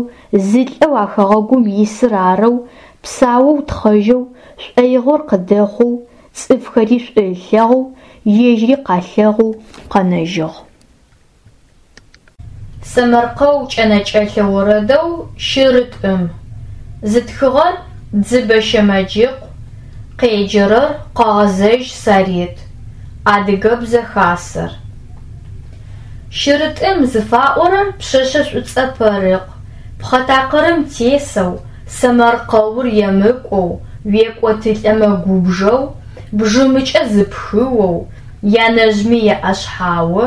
зы лӏэу а хэгъэгум исыр арэу, псаоу тхъэжьэу, шӏоигъор къыдэхъоу, цӏыфхэри шӏу ылъэгъоу, ежьри къалъэгъоу къэнэжьыгъ. Сэмэркъэу кӏэнэкӏэлъэ орэдэу Щырытӏым. Зытхыгъэр Дзыбэ Щэмэджыкъу, къеджэрэр Къэгъэзэжь Сарет. Адыгэбзэ Хасэр. Щырытӏым зыфаӏорэр пшъэшъэ шӏуцӏэ пэрыкъ, пхъэ такъырым тесэу, сэмэркъэур емыкӏоу, уекӏотылӏэмэ губжэу, бжымыкӏэ зыпхыоу, янэжъми еӏэшъхьао,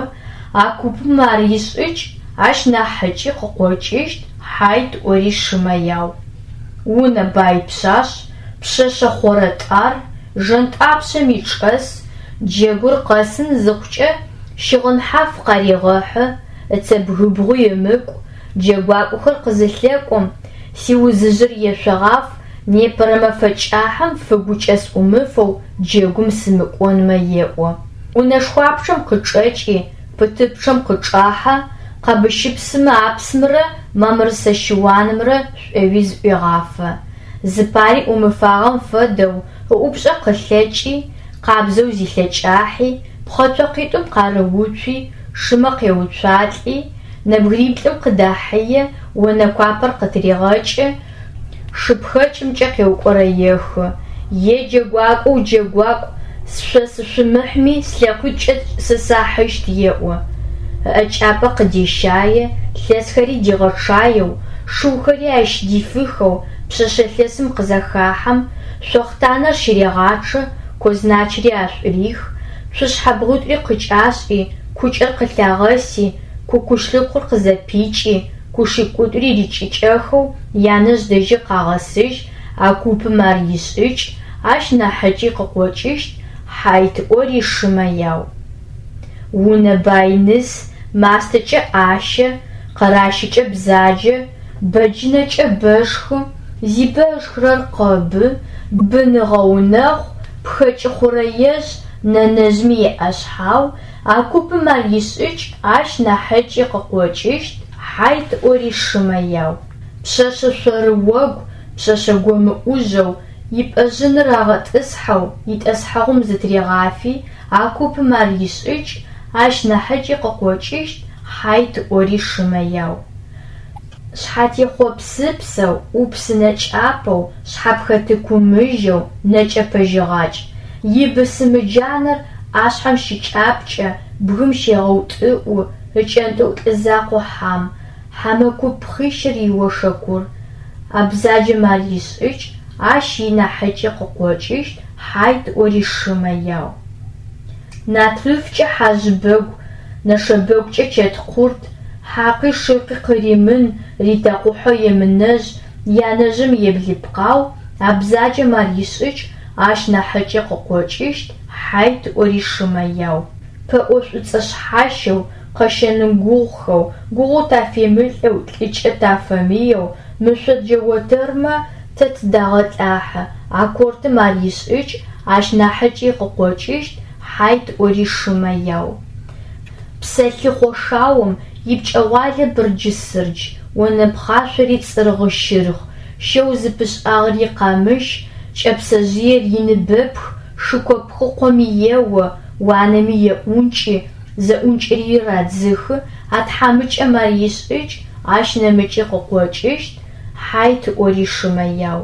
а купым ар ишӏыкӏ, ащ нахьыкӏи къыкъокӏыщт, хьайт ӏори шымэ яу. Унэ бай пшъашъ, пшъэшъэ хъорэтӏар, жэнтӏапшъэми чӏэс, джэгур къэсын зыхъукӏэ, щыгъын хьаф къарегъэхьы, ыцэбгыбгъуи ымыкӏу, джэгуакӏохэр къызылъэкӏом, сиузыжъыр ешъогъаф, непэрэ мэфэ кӏахьым фыгукӏэ сӏумыфэу джэгум сымыкӏонмэ еӏо. Унэшхуапчъэм къычӏэкӏи, пытыпчъэм къычӏахьэ, къэбыщыпсымэ апсымрэ мамрысэ щыуанымрэ шӏоуи зыӏуегъафэ. Зыпари ӏумыфагъэм фэдэу ыӏупшӏэ къылъэкӏи, къабзэу зилъэкӏахьи, пхъэ цокъитӏум къарыуцуи, шымэ къеуцуалӏи, нэбгыриплӏым къыдахьые, онэ куапэр къытырегъэкӏы, шыпхэкӏымкӏэ къеукӏорэехы. Е джэгуакӏоу джэгуакӏу, шъо сышъумыхьми, слъэкъуитӏукӏэ сэ сахьыщт еӏо. Ыӏэкӏапэ къыдещае, лъэсхэри дигъэчъаеу, шыухэри ащ дифыхэу пшъэшъэ лъэсым къызэхахьэм, шъохътанэр щырегъачъэ, козначри ашӏурих, цушъхьэ бгъуитӏури къыкӏашӏи, кукӏэр къылъагъэси, кукушлыкъур къызэпикӏи, кушикӏутӏури рикӏыкӏэхэу янэжъ дэжьи къагъэсыжь, а купым ар ишӏыкӏ, ащ нахьыкӏи къыкъокӏыщт, хьайт ӏори шымэ яу. Унэ бай ныс, мастэкӏэ ӏащэ, къэращыкӏэ бзаджэ, бэджынэкӏэ бэшхы, зибэ ышхырэр къэбы, бын ыгъэунэхъу, пхэкӏы хъурэежъ, нэнэжъми еӏэшъхьау, а купым ар ишӏыкӏ, ащ нахьыкӏи къыкъокӏыщт, хьайт ӏори шымэ яу. Пшъэшъэ шъорыогу, пшъэшъэ гомыӏужьэу, ипӏэжъыныр рагъэтӏысхьэу, итӏэсхьэгъум зытырегъафи, а купым ар ишӏыкӏ, ащ нахьыкӏи къыкъокӏыщт, хьайт ӏори шымэ яу. Шъхьатехъо псыпсэу, ӏупсынэ кӏапэу, шъхьапхэтыкумыжьэу, нэкӏэ пэжьыгъакӏ. Ибысымы джанэр ӏашъхьэм щыкӏапкӏэ, бгым щегъэутӏыӏу, ыкӏэнтӏыӏу лӏы закъо хьам, хьэмэ куп пхъищыр иошэкур. А бзаджэм ар ишӏыкӏ, ащ инахьыкӏи къыкъокӏыщт, хьайт ӏори шымэ яу. Натрыфкӏэ хьажъыбэгу, нэшэбэгукӏэ чэткъурт, хьакъи шыкъи къыримын, ритэкъухьэу емынэжъ, янэжъым еблыпкъау, а бзаджэм ар ишӏыкӏ, ащ нахьыкӏи къыкъокӏыщт, хьайт ӏори шымэ яу. Пэӏо шӏуцӏэ шъхьащэу, къэщэны гугъухэу, гугъу тафемылӏэу, лӏыкӏэ тафэмыеу, мышъоджэ отэрмэ тэ тыдагъэлӏахьы, а кортым ар ишӏыкӏ, ащ нахьыкӏи къыкъокӏыщт, хьайт ӏори шымэ яу. Псэлъыхъо шаом ипкӏэгъуалэ бырджы-сырдж, онэ пхъашъори цӏыргъы-щыргъ, щэу зыпышӏагъэри къамыщ, Кӏэпсэжъыер иныбэпх, шыко пхъыкъоми ео, уанэми еӏункӏы, зэӏункӏыри радзыхы, а тхьамыкӏэм ар ишӏыкӏ, ащ нэмыкӏи къыкъокӏыщт, хьайт ыӏори шымэ яу.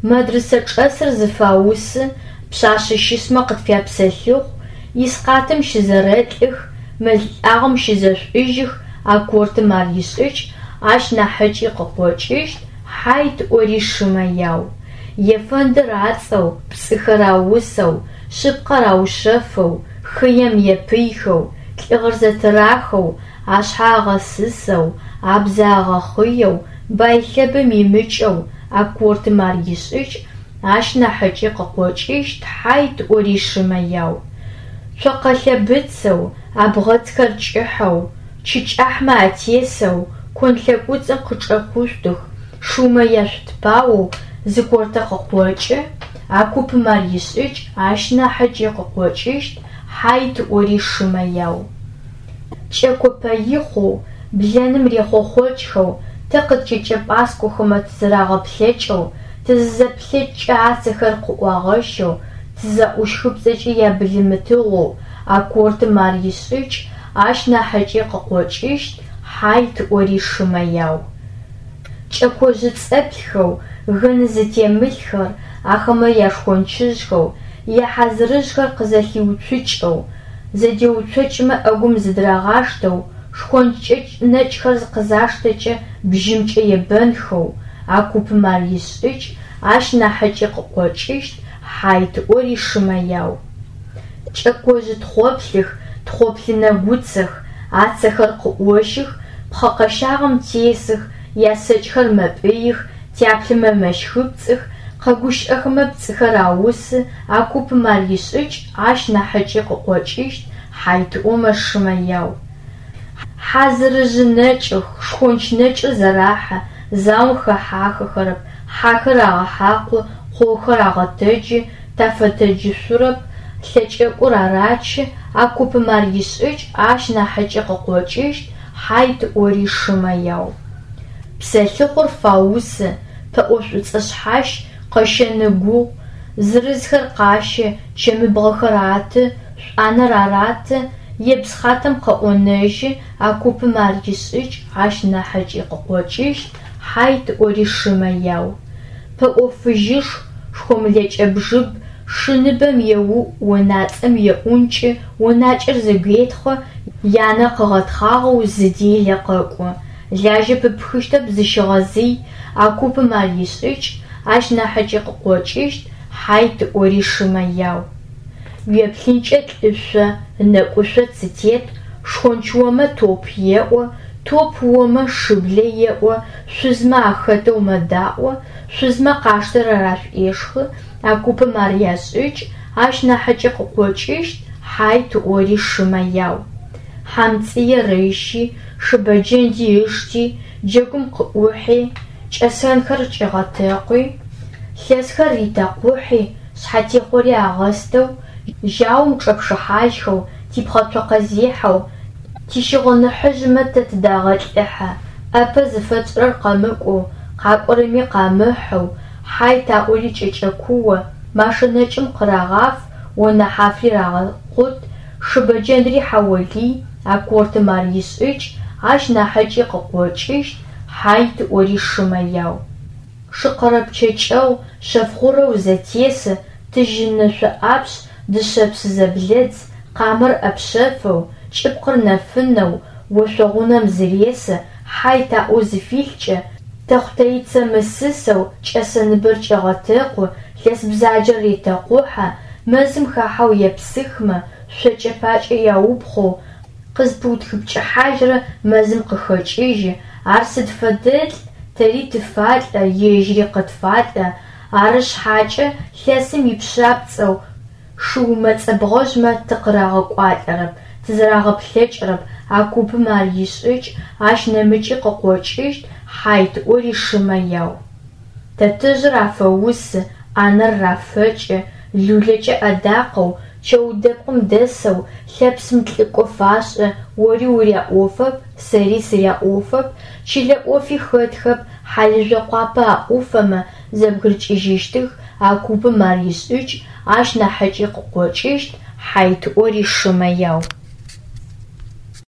Мэдрысэ чӏэсыр зыфаусы, пшъашъэ щысмэ къытфяпсэлъыхъу, искъатым щызэрэлӏых, мэл лӏагъэм щызэшӏужьых, а кортым ар ишӏыкӏ, ащ нахьыкӏи къыкъокӏыщт, хьайт ӏори шымэ яу. Ефэндыр ацӏэу, пцӏыхэр аусэу, шъыпкъэр аушъэфэу, хыем епыйхэу, лӏыгъэр зэтырахэу, ашъхьэ агъэсысэу, абзэ агъэхъыеу, бай лъэбэм имыкӏэу, а кортым ар ишӏыкӏ, ащ нахьыкӏи къыкъокӏыщт, хьайт ӏори шымэ яу. Цокъэ лъэбыцэу, абгъэцхэр кӏыхьэу, чы кӏахьмэ атесэу, кон лъэкӏуцӏым къычӏэкушъутых, шыумэ яшъутпаоу зы кортэ къыкъокӏы, а купым ар ишӏыкӏ, ащ нахьыкӏи къыкъокӏыщт, хьайт ӏори шымэ яу. Кӏэко пэихъоу, блэным рехъохъокӏхэу, тэ къыткӏэкӏэ пӏаскӏохэмэ тызэрагъэплъэкӏэу, тызызэплъэкӏкӏэ ацэхэр къыӏуагъэщэу, тызаӏущхыпцӏэкӏэ ябылымытыгъоу, а кортым ар ишӏыкӏ, ащ нахьыкӏи къыкъокӏыщт, хьайт ӏори шымэ яу. Кӏэкожъы цӏэплъхэу, гын зытемылъхэр, ахэмэ яшхончыжъхэу, яхьазырыжъхэр къызэлъиуцукӏэу, зэдеуцокӏмэ ӏэгум зыдырагъаштэу, шхонч кӏэкӏ нэкӏхэр къызаштэкӏэ бжьымкӏэ ебэнхэу, а купым ар ишӏыкӏ, ащ нахьыкӏи къыкъокӏыщт, хьайт ӏори шымэ яу. Кӏэкожъы тхъоплъых, тхъоплъы нэгуцэх, ацэхэр къыӏощых, пхъэ къэщагъэм тесых, ясэкӏхэр мэпӏыих, тяплъымэ мэщхыпцӏых, къэгущыӏэхэмэ пцӏыхэр аусы, а купым ар ишӏыкӏ, ащ нахьыкӏи къыкъокӏыщт, хьайт ӏомэ шымэ яу. Хьазырыжъы нэкӏых, шхонч нэкӏыр зэрахьэ, заом хэхьахэхэрэп, хьахэр агъэхьакъу, къохэр агъэтэджы, тафэтэджышъурэп, лъэкӏэкӏур арачы, а купым ар ишӏыкӏ, ащ нахьыкӏи къыкъокӏыщт, хьайт ӏори шымэ яу. Псэлъыхъур фаусы, пэӏо шӏуцӏэ шъхьащ, къэщэн ыгугъу, зырызхэр къащэ, чэмыбгъэхэр аты, шӏуанэр араты, ебз хатэм къыӏонэжьы, а купым ар ишӏыкӏ, ащ нахьыкӏи къыкъокӏыщт, хьайт ӏори шымэ яу. Пэӏо фыжьышху, шхомлэкӏэ бжыб, шы ныбэм еуӏу, онацӏэм еӏункӏы, онакӏэр зэгуетхъы, янэ къыгъэтхъагъэу зы делэ къэкӏо. Лажьэ пыпхыщтэп зыщыгъэзый, а купым ар ишӏыкӏ, ащ нахьыкӏи къыкъокӏыщт, хьайт ӏори шымэ яу. Уеплъынкӏэ лӏышъо, ынэкӏушъо цы тет, шхонч омэ топ еӏо, топ омэ шыблэ еӏо, шъузмэ ахэтэу мэдаӏо, шъузмэ къаштэрэр ашӏуешхы, а купым ар яшӏыкӏ, ащ нахьыкӏи къыкъокӏыщт, хьайт ӏори шымэ яу. Хьамцӏыер ыщи, шыбэджэнди ышти, джэгум къыӏухьи, кӏэсэнхэр кӏигъэтэкъуи, лъэсхэр ритэкъухьи, шъхьэтехъори агъэстэу, жьаум чӏэпшыхьажьхэу, типхъэцокъэзехьэу, тищыгъыныхьыжъмэ тэ тыдагъэлӏыхьэ, ӏапэ зыфэтшӏырэр къэмыкӏоу, къакӏорэми къамыхьэу, хьайт аӏори кӏэкӏэкуо, машэ нэкӏым къырагъаф, онэ хьафри рагъэкъут, шыбэджэндри хьаолый, а кортым ар ишӏыкӏ, ащ нахьыкӏи къыкъокӏыщт, хьайт ӏори шымэ яу. Шыкъэрэпчъэкӏэу, шъэфгъурэу зэтесы, тыжьынышъо ӏапшъ, дышъэпс зэблэдз, къамэр ӏэпшъэфэу, кӏыпкъыр нэфынэу, ошъогъунэм зыресы, хьайт аӏоу зыфилъкӏэ, тэхъутэицэ мысысэу, кӏэсэныбэр кӏегъэтэкъу, лъэс бзаджэр ретэкъухьэ, мэзым хахьэу епсыхмэ, шъокӏэ пакӏэ яупхъоу, къызпыутхыпкӏыхьажьрэ мэзым къыхэкӏыжьы, ар сыд фэдэлӏ, тэри тыфалӏэ, ежьыри къытфалӏэ, ары шъхьакӏэ лъэсым ипшъапцӏэу, шыумэ цӏэбгъэжъмэ тыкъырагъэкӏуалӏэрэп, тызэрагъэплъэкӏырэп, а купым ар ишӏыкӏ, ащ нэмыкӏи къыкъокӏыщт, хьайт ӏори шымэ яу. Тэтэжъыр афэусы, ӏанэр рафэкӏы, лулэкӏэ ӏэдакъэу, чэудэпкъым дэсэу, лъэпсым лӏыкӏо фашӏы, ори уряӏофэп, сэри сыряӏофэп, чылэ ӏофи хэтхэп, хьалыжъо къуапэ аӏуфэмэ, Зэбгырыкӏыжьыщтых, а купым ар ишӏыкӏ, Ащ нахьыкӏи къыкъокӏыщт, Хьайт ӏори шымэ яу.